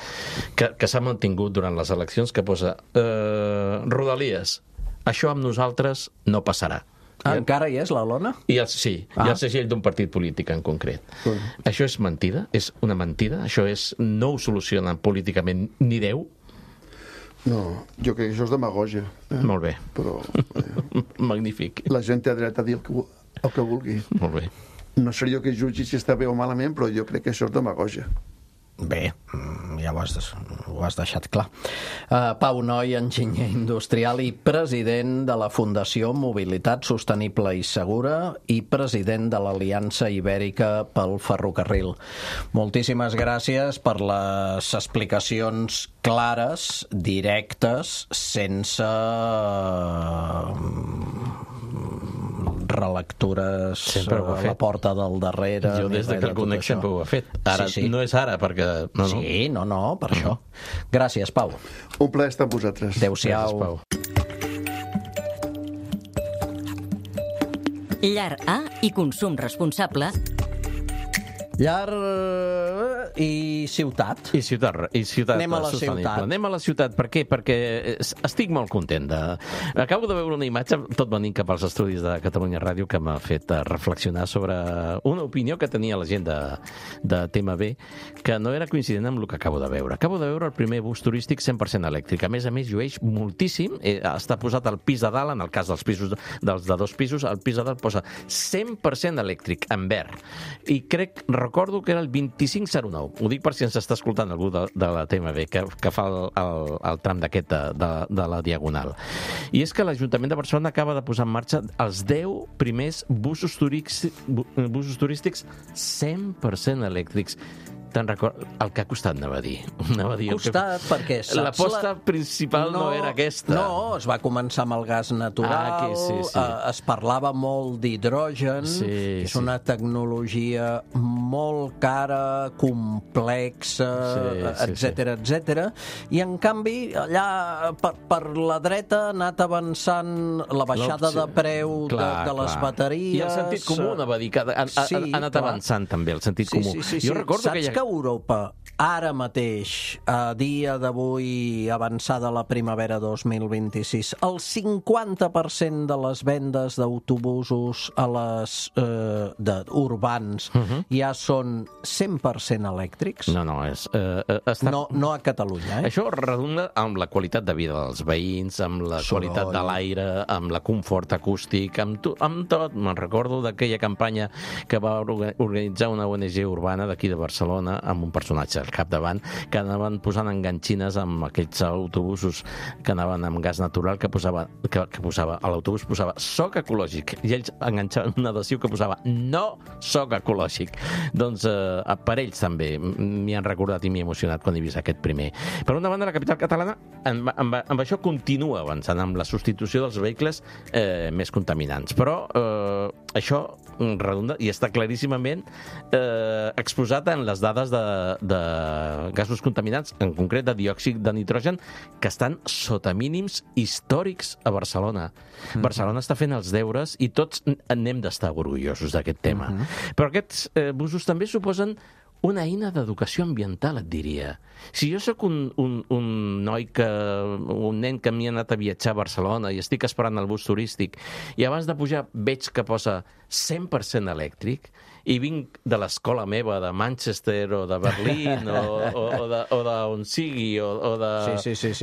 S4: que s'ha mantingut durant les eleccions que posa Rodalies, això amb nosaltres no passarà.
S3: Encara hi és la lona?
S4: Sí, hi ha el segell d'un partit polític en concret. Això és mentida? És una mentida? Això no ho soluciona políticament ni Déu?
S5: No, jo crec que això és demagògia.
S4: Molt bé.
S5: Però
S4: magnífic.
S5: La gent té dret a dir el que vulgui.
S4: Molt bé.
S5: No seré jo que jutgi si està bé o malament, però jo crec que això és demagògia.
S3: Bé, ja ho has deixat clar. Pau Noi, enginyer industrial i president de la Fundació Mobilitat Sostenible i Segura i president de l'Aliança Ibèrica pel Ferrocarril. Moltíssimes gràcies per les explicacions clares, directes, sense relectures a la porta del darrere.
S4: Jo des que el conec sempre ho he fet. Ara no és ara, perquè...
S3: Sí, per això. Gràcies, Pau.
S5: Un plaer estar amb vosaltres.
S3: Adéu-siau.
S1: Llar A i consum responsable.
S3: Llar I ciutat.
S4: I ciutat
S3: Anem a la
S4: sostenible.
S3: ciutat.
S4: Anem a la ciutat. Per què? Perquè estic molt content. Acabo de veure una imatge, tot venint cap als estudis de Catalunya Ràdio, que m'ha fet reflexionar sobre una opinió que tenia la gent de TMB, que no era coincident amb el que acabo de veure. Acabo de veure el primer bus turístic 100% elèctric. A més, llueix moltíssim. Està posat al pis de dalt, en el cas dels pisos dels de 2 pisos, al pis de dalt posa 100% elèctric, en verd. I recordo que era el 2509. Ho dic per si ens està escoltant algú de la TMB, que fa el tram d'aquest de la Diagonal. I és que l'Ajuntament de Barcelona acaba de posar en marxa els 10 primers busos turístics 100% elèctrics. Te'n record el que ha costat, anava a dir.
S3: Costat, perquè saps...
S4: L'aposta principal no era aquesta.
S3: No, es va començar amb el gas natural,
S4: sí.
S3: Es parlava molt d'hidrogen, que és una tecnologia molt cara, complexa, etc. I, en canvi, allà per la dreta ha anat avançant la baixada de preu de les bateries...
S4: I el sentit comú, anava a dir, que ha anat avançant també, el sentit comú. Jo recordo que
S3: Europa, ara mateix, a dia d'avui, avançada la primavera 2026, el 50% de les vendes d'autobusos urbans ja són 100% elèctrics?
S4: No,
S3: No a Catalunya, eh?
S4: Això redunda amb la qualitat de vida dels veïns, amb la qualitat de l'aire, amb la confort acústic, amb tot. Me'n recordo d'aquella campanya que va organitzar una ONG urbana d'aquí de Barcelona, amb un personatge al capdavant, que anaven posant enganxines amb aquells autobusos que anaven amb gas natural, que posava a l'autobús posava soc ecològic, i ells enganxaven un adhesiu que posava no soc ecològic. Doncs per ells també m'hi han recordat i m'hi he emocionat quan he vist aquest primer. Per una banda, la capital catalana amb això continua avançant, amb la substitució dels vehicles més contaminants, però això redunda i està claríssimament exposat en les dades de gasos contaminants, en concret de diòxid de nitrogen, que estan sota mínims històrics a Barcelona. Barcelona està fent els deures i tots n'hem d'estar orgullosos d'aquest tema. Però aquests busos també suposen una eina d'educació ambiental, et diria. Si jo sóc un nen que m'hi ha anat a viatjar a Barcelona i estic esperant el bus turístic i abans de pujar veig que posa 100% elèctric i vinc de l'escola meva de Manchester o de Berlín o d'on sigui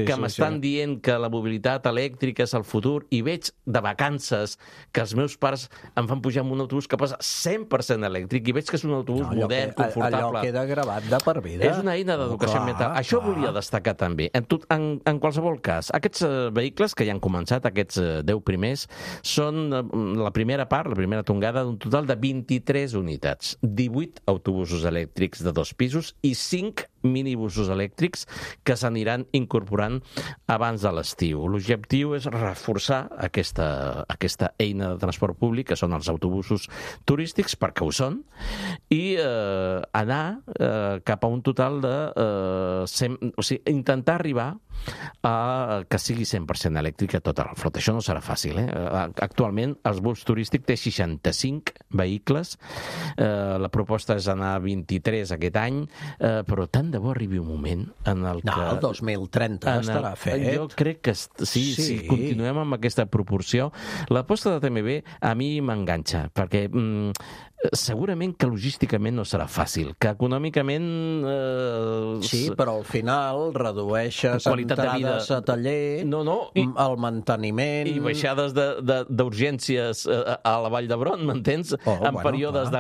S4: que m'estan dient que la mobilitat elèctrica és el futur i veig de vacances que els meus pares em fan pujar en un autobús que posa 100% elèctric i veig que és un autobús modern, confortable.
S3: Allò queda gravat de per vida.
S4: És una eina d'educació ambiental. Això volia destacar també. En qualsevol cas, aquests vehicles que ja han començat, aquests 10 primers, són la primera tongada d'un total de 23 unitats, 18 autobusos elèctrics de 2 pisos i 5 minibusos elèctrics que s'aniran incorporant abans de l'estiu. L'objectiu és reforçar aquesta eina de transport públic, que són els autobusos turístics, perquè ho són, i anar cap a un total de... intentar arribar a que sigui 100% elèctrica tota la flota. Això no serà fàcil, eh? Actualment, el bus turístic té 65 vehicles. La proposta és anar a 23 aquest any, però tant de bo arribi un moment en el que...
S3: No, el 2030 estarà fet.
S4: Jo crec que sí, si continuem amb aquesta proporció. L'aposta de TMB a mi m'enganxa, perquè segurament que logísticament no serà fàcil, que econòmicament...
S3: Sí, però al final redueixes entrades a taller, el manteniment...
S4: I baixades d'urgències a la Vall d'Hebron, m'entens? En períodes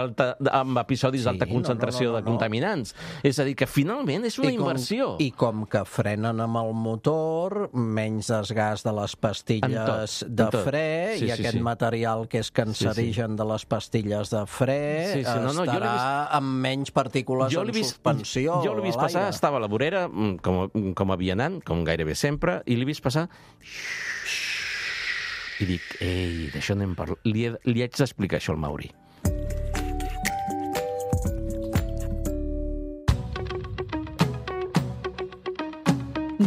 S4: amb episodis d'alta concentració de contaminants. És a dir, que finalment és una inversió.
S3: I com que frenen amb el motor, menys desgast de les pastilles de fre, i aquest material que és cancerigen de les pastilles de fre estarà amb menys partícules en suspensió.
S4: Jo l'he vist passar, estava a la vorera, com a vianant, com gairebé sempre, i l'he vist passar... I dic, ei, d'això n'hem parlat. Li haig d'explicar això al Mauri.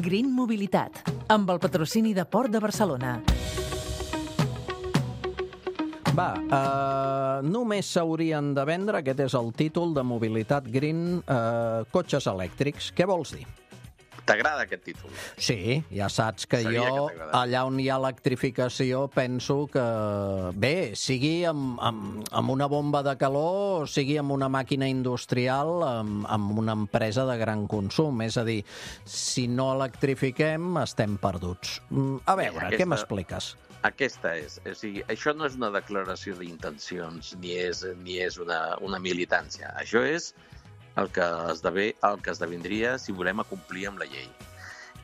S1: Green Mobilitat, amb el patrocini de Port de Barcelona.
S3: Només s'haurien de vendre, aquest és el títol de Mobilitat Green, cotxes elèctrics. Què vols dir?
S4: T'agrada aquest títol?
S3: Sí, ja saps que jo, allà on hi ha electrificació, penso que, bé, sigui amb una bomba de calor, sigui amb una màquina industrial, amb una empresa de gran consum. És a dir, si no electrifiquem, estem perduts. A veure, què m'expliques?
S4: Aquesta és. O sigui, això no és una declaració d'intencions, ni és una militància. Això és el que esdevindria si volem acomplir amb la llei.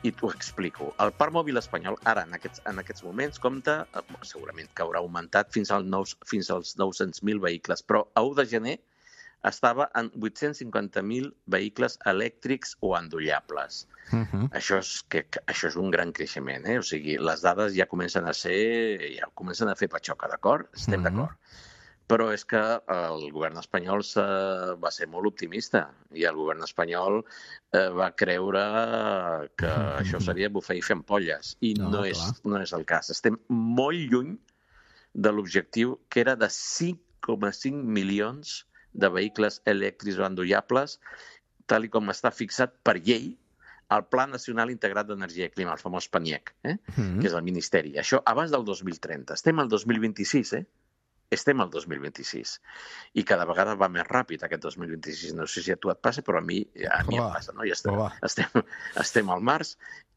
S4: I t'ho explico. El parc mòbil espanyol, ara, en aquests moments, compta, segurament que haurà augmentat fins als 900.000 vehicles, però a 1 de gener estava en 850.000 vehicles elèctrics o endollables. Això és un gran creixement, O sigui, les dades ja comencen a fer patxoca, d'acord? Estem d'acord. Però és que el govern espanyol va ser molt optimista i el govern espanyol va creure que això seria bufar i fer ampolles. I no és el cas. Estem molt lluny de l'objectiu que era de 5,5 milions de vehicles elèctrics o endollables, tal com està fixat per llei al Pla Nacional Integrat d'Energia i Clima, el famós PNIEC, que és el Ministeri. Això abans del 2030. Estem al 2026, Estem al 2026 i cada vegada va més ràpid aquest 2026. No sé si a tu et passa, però a mi em passa. No? Estem al març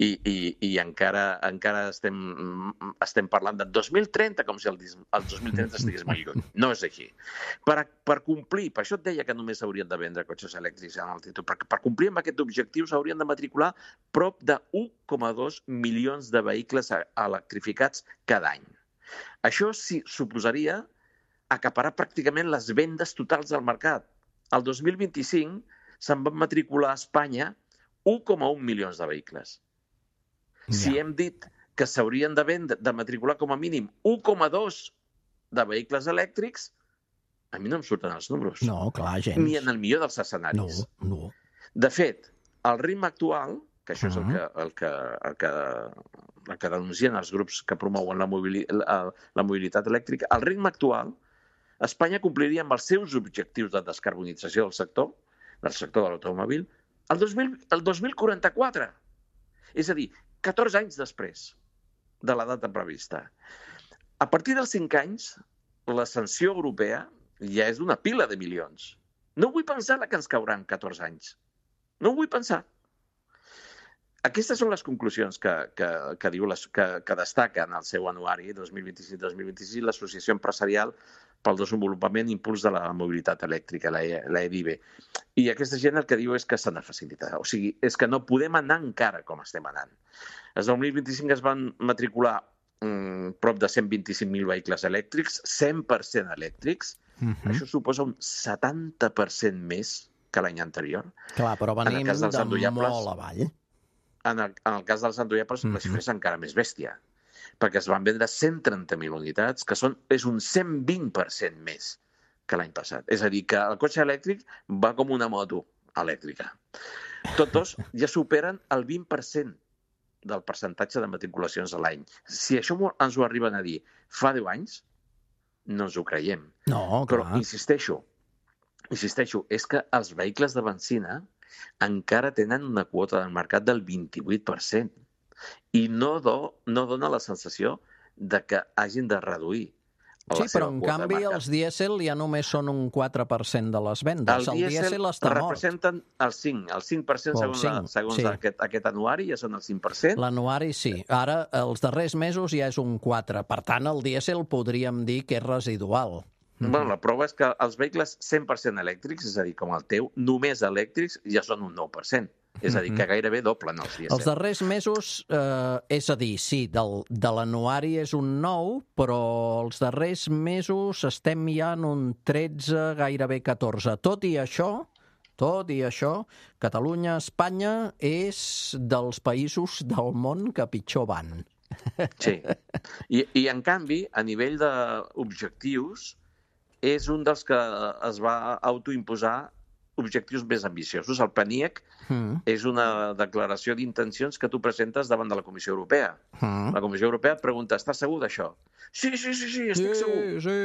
S4: i encara estem parlant de 2030 com si el 2030 estigués molt lluny. No és així. Per complir, per això et deia que només s'haurien de vendre cotxes elèctrics en el títol, per complir amb aquest objectiu s'haurien de matricular prop de 1,2 milions de vehicles electrificats cada any. Això sí suposaria acaparar pràcticament les vendes totals del mercat. El 2025 se'n van matricular a Espanya 1,1 milions de vehicles. Si hem dit que s'haurien de matricular com a mínim 1,2 de vehicles elèctrics, a mi no em surten els números.
S3: No, clar, gens.
S4: Ni en el millor dels escenaris.
S3: No.
S4: De fet, el ritme actual, que això és el que denuncien els grups que promouen la mobilitat elèctrica, el ritme actual, Espanya compliria amb els seus objectius de descarbonització del sector de l'automòbil, el 2044. És a dir, 14 anys després de la data prevista. A partir dels 5 anys, la sanció europea ja és d'una pila de milions. No vull pensar la que ens caurà en 14 anys. No ho vull pensar. Aquestes són les conclusions que destaca en el seu anuari 2025-2026 l'Associació Empresarial pel Desenvolupament i Impuls de la Mobilitat Elèctrica, la EDIB. I aquesta gent el que diu és que s'ha de facilitar. O sigui, és que no podem anar encara com estem anant. El 2025 es van matricular prop de 125.000 vehicles elèctrics, 100% elèctrics. Això suposa un 70% més que l'any anterior.
S3: Clar, però venim de molt avall.
S4: En el cas dels endollables, la xifra és encara més bèstia, perquè es van vendre 130.000 unitats, que és un 120% més que l'any passat. És a dir, que el cotxe elèctric va com una moto elèctrica. Tots dos ja superen el 20% del percentatge de matriculacions a l'any. Si això ens ho arriben a dir fa 10 anys, no ens ho creiem.
S3: No, clar.
S4: Però insisteixo, és que els vehicles de benzina encara tenen una quota del mercat del 28% i no dona la sensació de que hagin de reduir
S3: Sí, però en canvi els dièsel ja només són un 4% de les vendes.
S4: El dièsel
S3: està mort.
S4: Representen el 5% segons aquest anuari, ja són el 5%.
S3: L'anuari sí. Ara, els darrers mesos ja és un 4%. Per tant, el dièsel podríem dir que és residual.
S4: Bueno, la prova és que els vehicles 100% elèctrics, és a dir, com el teu, només elèctrics, ja són un 9%. És a dir, que gairebé doblen els dièsel.
S3: Els darrers mesos, és a dir, sí, de l'anuari és un 9, però els darrers mesos estem ja en un 13, gairebé 14. Tot i això, Catalunya, Espanya, és dels països del món que pitjor van.
S4: Sí. I en canvi, a nivell d'objectius, és un dels que es va autoimposar
S6: objectius més ambiciosos. El PNIEC és una declaració d'intencions que tu presentes davant de la Comissió Europea. La Comissió Europea et pregunta, estàs segur d'això? Sí, estic segur.
S3: Sí.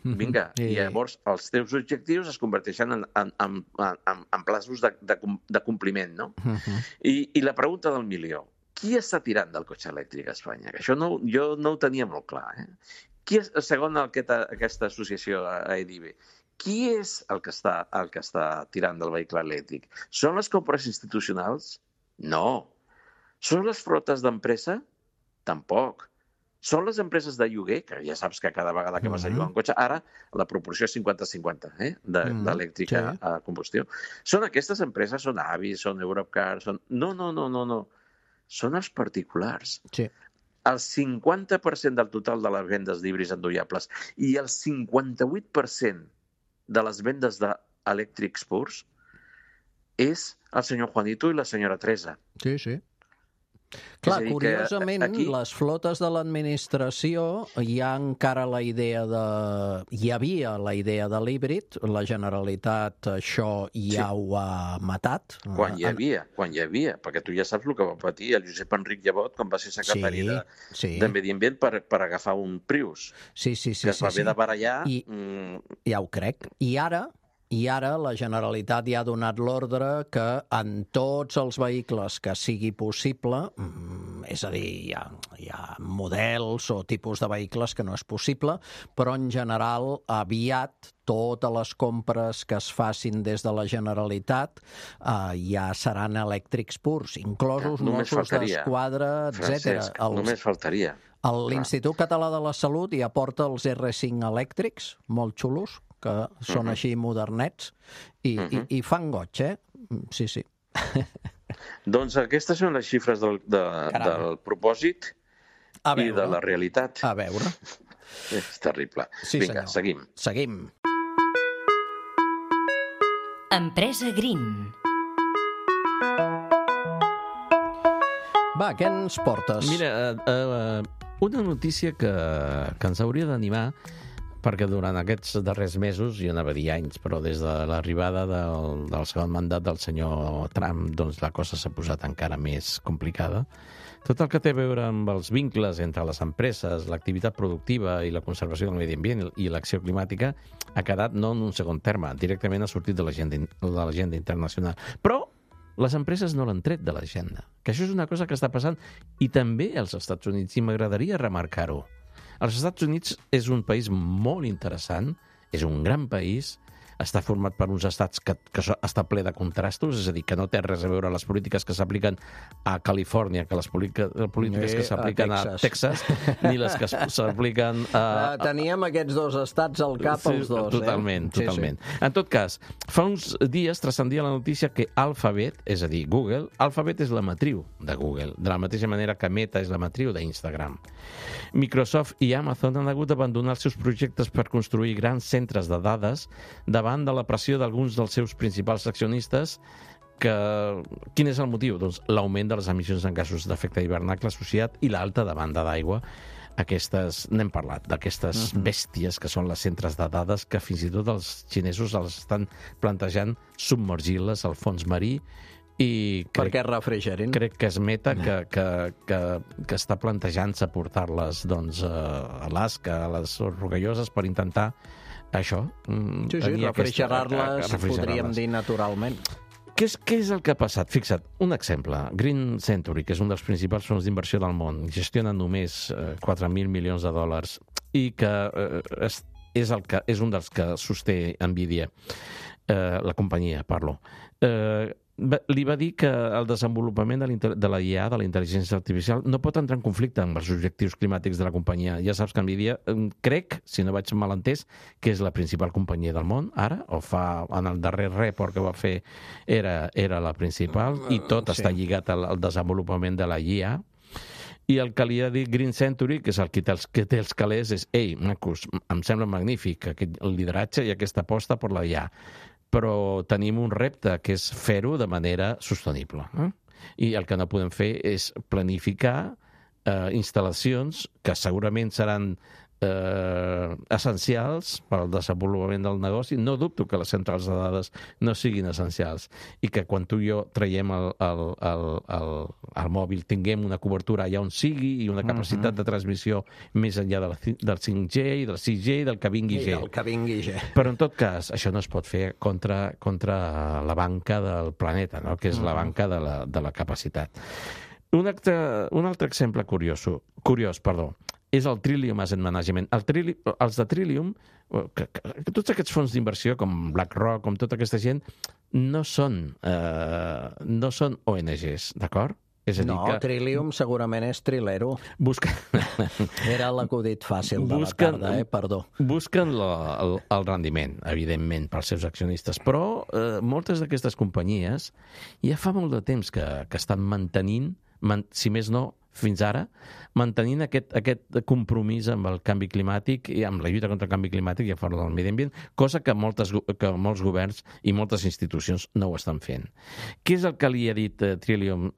S6: Vinga, i llavors els teus objectius es converteixen en plaços de compliment, no? I la pregunta del milió, qui està tirant del cotxe elèctric a Espanya? Que això jo no ho tenia molt clar. Qui és, segons aquesta associació AEDIB, qui és el que està tirant del vehicle elèctric? Són les compres institucionals? No. Són les flotes d'empresa? Tampoc. Són les empreses de lloguer, que ja saps que cada vegada que vas a llogar un cotxe, ara la proporció és 50-50, d'elèctrica a combustió. Són aquestes empreses, són Avis, són Europcar, són... No. Són els particulars.
S3: Sí.
S6: El 50% del total de les vendes d'híbrids endollables i el 58% de les vendes d'elèctrics purs és el senyor Juanito i la senyora Teresa.
S3: Sí. Clar, curiosament, aquí... les flotes de l'administració hi ha encara la idea de... Hi havia la idea de l'híbrid, la Generalitat això ja ho ha matat.
S6: Quan hi havia, perquè tu ja saps el que va patir el Josep Enric Llebot quan va ser secretari de Medi Ambient per agafar un Prius.
S3: Sí.
S6: Que es va haver de barallar...
S3: Ja ho crec. I ara la Generalitat ja ha donat l'ordre que en tots els vehicles que sigui possible, és a dir, hi ha models o tipus de vehicles que no és possible, però en general aviat totes les compres que es facin des de la Generalitat ja seran elèctrics purs, inclosos Mossos d'Esquadra, etc.
S6: Només faltaria.
S3: L'Institut Català de la Salut ja porta els R5 elèctrics, molt xulos, que són així modernets, i fan goig, Sí.
S6: Doncs aquestes són les xifres del propòsit i de la realitat.
S3: A veure.
S6: És terrible.
S3: Sí,
S6: vinga,
S3: senyor. Seguim.
S1: Empresa Green.
S3: Va, què ens portes?
S4: Mira, una notícia que ens hauria d'animar, perquè durant aquests darrers mesos, jo anava a dir anys, però des de l'arribada del segon mandat del senyor Trump, doncs la cosa s'ha posat encara més complicada. Tot el que té a veure amb els vincles entre les empreses, l'activitat productiva i la conservació del medi ambient i l'acció climàtica ha quedat no en un segon terme, directament ha sortit de l'agenda internacional. Però les empreses no l'han tret de l'agenda, que això és una cosa que està passant i també als Estats Units, i m'agradaria remarcar-ho. Els Estats Units és un país molt interessant, és un gran país, està format per uns estats que està ple de contrastos, és a dir, que no té res a veure les polítiques que s'apliquen a Califòrnia, que les polítiques que s'apliquen a Texas, ni les que s'apliquen a...
S3: Teníem aquests dos estats al cap, els dos.
S4: Totalment. En tot cas, fa uns dies transcendia la notícia que Alphabet, és a dir, Google, Alphabet és la matriu de Google, de la mateixa manera que Meta és la matriu d'Instagram. Microsoft i Amazon han hagut d'abandonar els seus projectes per construir grans centres de dades davant de la pressió d'alguns dels seus principals accionistes. Quin és el motiu? Doncs l'augment de les emissions en gasos d'efecte hivernacle associat i l'alta demanda d'aigua. N'hem parlat, d'aquestes bèsties que són les centres de dades que fins i tot els xinesos els estan plantejant submergir-les al fons marí i
S3: perquè refrigerin.
S4: Crec que és Meta que està plantejant-se portar-les a Alaska, a les Rocalloses, per intentar això.
S3: Sí, refrigerar-les, podríem dir naturalment.
S4: Què és el que ha passat? Fixa't, un exemple. Green Century, que és un dels principals fons d'inversió del món, gestiona només 4.000 milions de dòlars i que és un dels que sosté Nvidia, la companyia, parlo. Li va dir que el desenvolupament de la IA, de la intel·ligència artificial, no pot entrar en conflicte amb els objectius climàtics de la companyia. Ja saps que Nvidia, crec, si no vaig mal entès, que és la principal companyia del món, ara, en el darrer report que va fer era la principal, i tot està lligat al desenvolupament de la IA. I el que li ha dit Green Century, que és el que té els calés, és ei, macos, em sembla magnífic aquest lideratge i aquesta aposta per la IA, però tenim un repte, que és fer-ho de manera sostenible. I el que no podem fer és planificar instal·lacions que segurament seran essencials per al desenvolupament del negoci. No dubto que les centrals de dades no siguin essencials i que quan tu i jo traiem el mòbil tinguem una cobertura allà on sigui i una capacitat de transmissió més enllà del 5G i del 6G i del que vingui G.
S3: Del que vingui G.
S4: Però en tot cas, això no es pot fer contra la banca del planeta, no? Que és la banca de la capacitat. Un altre exemple curiós, és el Trillium Asset Management. Els de Trillium, tots aquests fons d'inversió, com BlackRock, com tota aquesta gent, no són ONGs, d'acord? És a dir que...
S3: Trillium segurament és trilero. Era l'acudit fàcil de la tarda, perdó. Busquen
S4: el rendiment, evidentment, pels seus accionistes, però moltes d'aquestes companyies ja fa molt de temps que estan mantenint, si més no, fins ara, mantenint aquest compromís amb el canvi climàtic i amb la lluita contra el canvi climàtic i a favor del medi ambient, cosa que molts governs i moltes institucions no ho estan fent. Què és el que li ha dit Trillium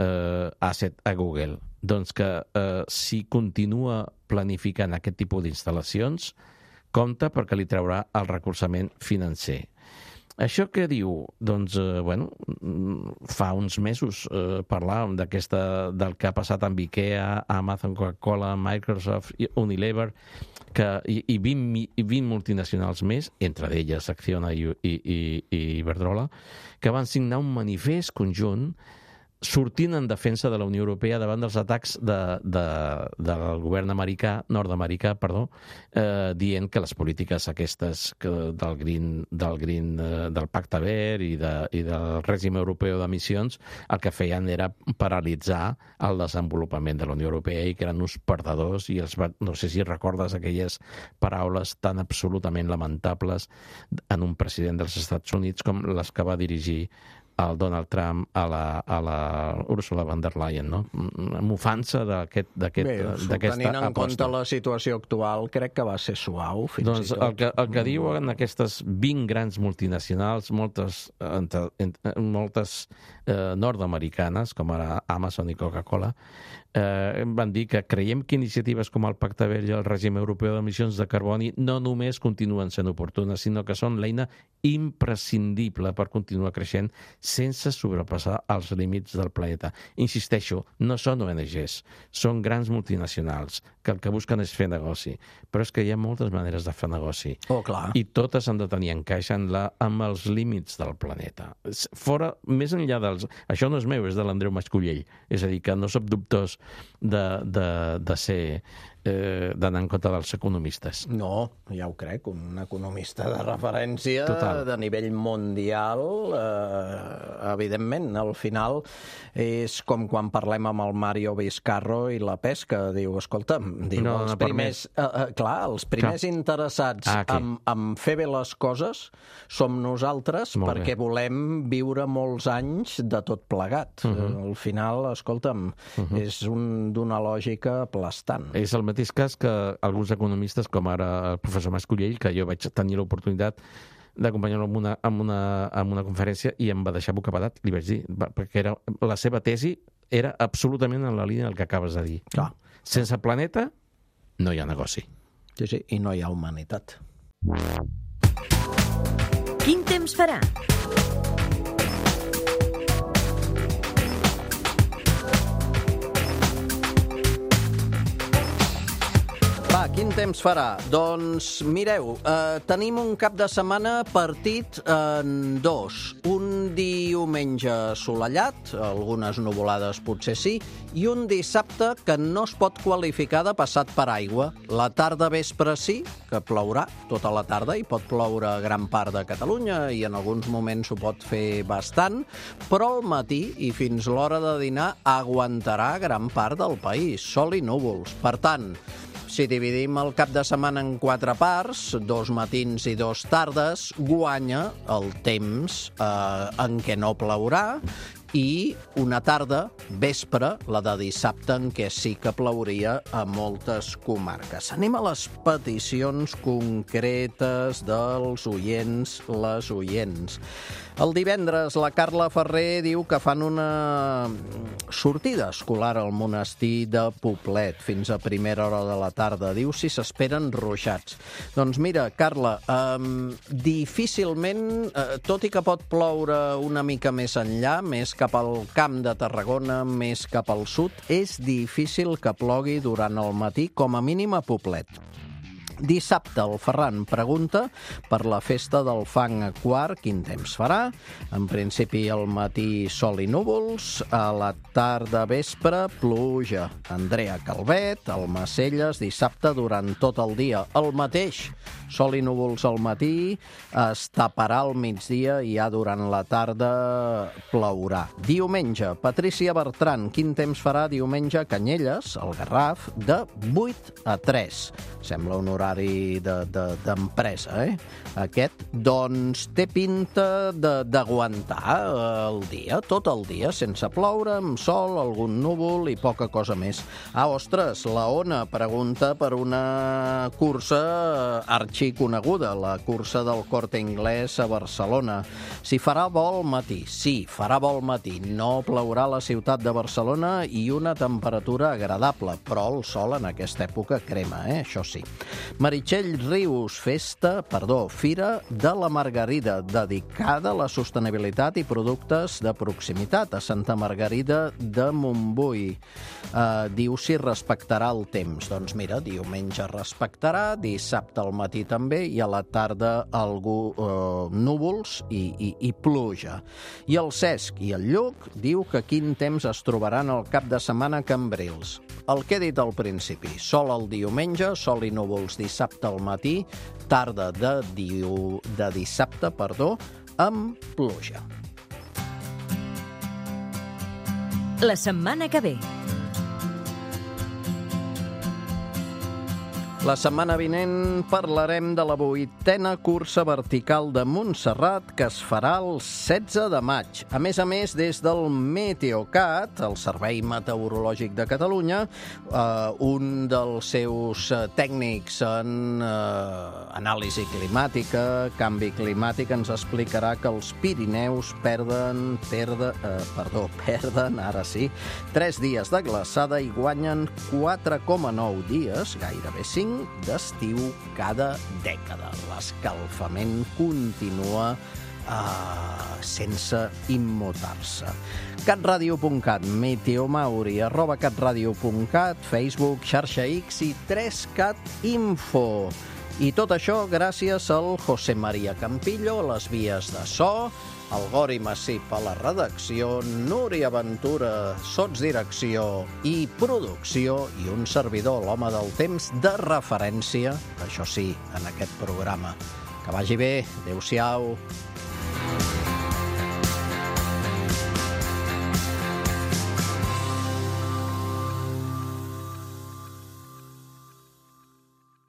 S4: Asset a Google? Doncs que si continua planificant aquest tipus d'instal·lacions, compta perquè li traurà el recolzament financer. Això què diu? Doncs, fa uns mesos parlàvem del que ha passat amb IKEA, Amazon, Coca-Cola, Microsoft, Unilever, i 20 multinacionals més, entre d'elles Acciona i Iberdrola, que van signar un manifest conjunt sortint en defensa de la Unió Europea davant dels atacs del govern nord-americà, dient que les polítiques aquestes del Pacte Verd i del règim europeu d'emissions el que feien era paralitzar el desenvolupament de la Unió Europea i que eren uns perdedors i no sé si recordes aquelles paraules tan absolutament lamentables en un president dels Estats Units com les que va dirigir el Donald Trump a la Ursula von der Leyen, no? Mofant-se d'aquesta aposta.
S3: Tenint en compte la situació actual, crec que va ser suau, fins
S4: i tot. El que diuen aquestes 20 grans multinacionals, moltes nord-americanes, com ara Amazon i Coca-Cola, van dir que creiem que iniciatives com el Pacte Verd i el règim europeu d'emissions de carboni no només continuen sent oportunes, sinó que són l'eina imprescindible per continuar creixent sense sobrepassar els límits del planeta. Insisteixo, no són ONGs, són grans multinacionals que el que busquen és fer negoci. Però és que hi ha moltes maneres de fer negoci.
S3: Oh, clar.
S4: I totes han de tenir encaix amb els límits del planeta. Més enllà dels... Això no és meu, és de l'Andreu Mascollell. És a dir, que no soc dubtós de ser... d'anar en compte dels economistes.
S3: No, ja ho crec, un economista de referència de nivell mundial, evidentment. Al final és com quan parlem amb el Mario Vizcarro i la pesca. Diu, escolta'm, els primers interessats en fer bé les coses som nosaltres perquè volem viure molts anys de tot plegat. Al final, escolta'm, és d'una lògica aplastant.
S4: És el mateix cas que alguns economistes, com ara el professor Mascollell, que jo vaig tenir l'oportunitat d'acompanyar-lo en una conferència i em va deixar bocabadat, li vaig dir, perquè la seva tesi era absolutament en la línia del que acabes de dir.
S3: Clar.
S4: Sense planeta no hi ha negoci.
S3: Sí, i no hi ha humanitat.
S1: Quin temps farà?
S3: Quin temps farà? Doncs mireu, tenim un cap de setmana partit en dos. Un diumenge assolellat, algunes nuvolades potser sí, i un dissabte que no es pot qualificar de passat per aigua. La tarda vespre sí, que plourà tota la tarda i pot ploure a gran part de Catalunya i en alguns moments ho pot fer bastant, però al matí i fins l'hora de dinar aguantarà gran part del país, sol i núvols. Per tant, si dividim el cap de setmana en 4 parts, 2 matins i 2 tardes, guanya el temps en què no plourà i una tarda, vespre, la de dissabte, en què sí que plouria a moltes comarques. Anem a les peticions concretes dels oients, les oients. El divendres, la Carla Ferrer diu que fan una sortida escolar al monestir de Poblet fins a primera hora de la tarda. Diu si s'esperen ruixats. Doncs mira, Carla, difícilment, tot i que pot ploure una mica més enllà, més cap al Camp de Tarragona, més cap al sud, és difícil que plogui durant el matí, com a mínim a Poblet. Dissabte, el Ferran pregunta per la festa del fang a Quart, quin temps farà. En principi, al matí sol i núvols, a la tarda vespre, pluja. Andrea Calvet, al Macelles, dissabte durant tot el dia. El mateix, sol i núvols al matí, es taparà al migdia i ja durant la tarda plourà. Diumenge, Patrícia Bertran, quin temps farà diumenge a Canyelles, al Garraf, de 8 a 3. Sembla un horari d'empresa, Aquest, doncs, té pinta d'aguantar el dia, tot el dia, sense ploure, amb sol, algun núvol i poca cosa més. Ostres, la Ona pregunta per una cursa arxiconeguda, la cursa del Corte Inglés a Barcelona. Si farà vol matí? Sí, farà vol matí. No plourà a la ciutat de Barcelona i una temperatura agradable, però el sol en aquesta època crema, això sí. Meritxell Rius, Fira de la Margarida, dedicada a la sostenibilitat i productes de proximitat a Santa Margarida de Montbui. Diu si respectarà el temps. Doncs mira, diumenge respectarà, dissabte al matí també i a la tarda núvols i pluja. I el Cesc i el Lluc diu que quin temps es trobaran el cap de setmana a Cambrils. El que he dit al principi, sol el diumenge, sol i núvols dissabte al matí, tarda de dissabte, amb pluja.
S1: La setmana que ve.
S3: La setmana vinent parlarem de la 8a cursa vertical de Montserrat que es farà el 16 de maig. A més, des del Meteocat, el Servei Meteorològic de Catalunya, un dels seus tècnics en anàlisi climàtica, canvi climàtic, ens explicarà que els Pirineus perden, ara sí, 3 dies de glaçada i guanyen 4,9 dies, gairebé 5, d'estiu cada dècada. L'escalfament continua sense immutar-se. catradio.cat, meteomauri, @catradio.cat, Facebook, xarxa X i 3cat Info. I tot això gràcies al José María Campillo a les vies de so, el Gori Massip a la redacció, Núria Ventura, sotsdirecció i producció, i un servidor, l'home del temps, de referència, això sí, en aquest programa. Que vagi bé, adéu-siau.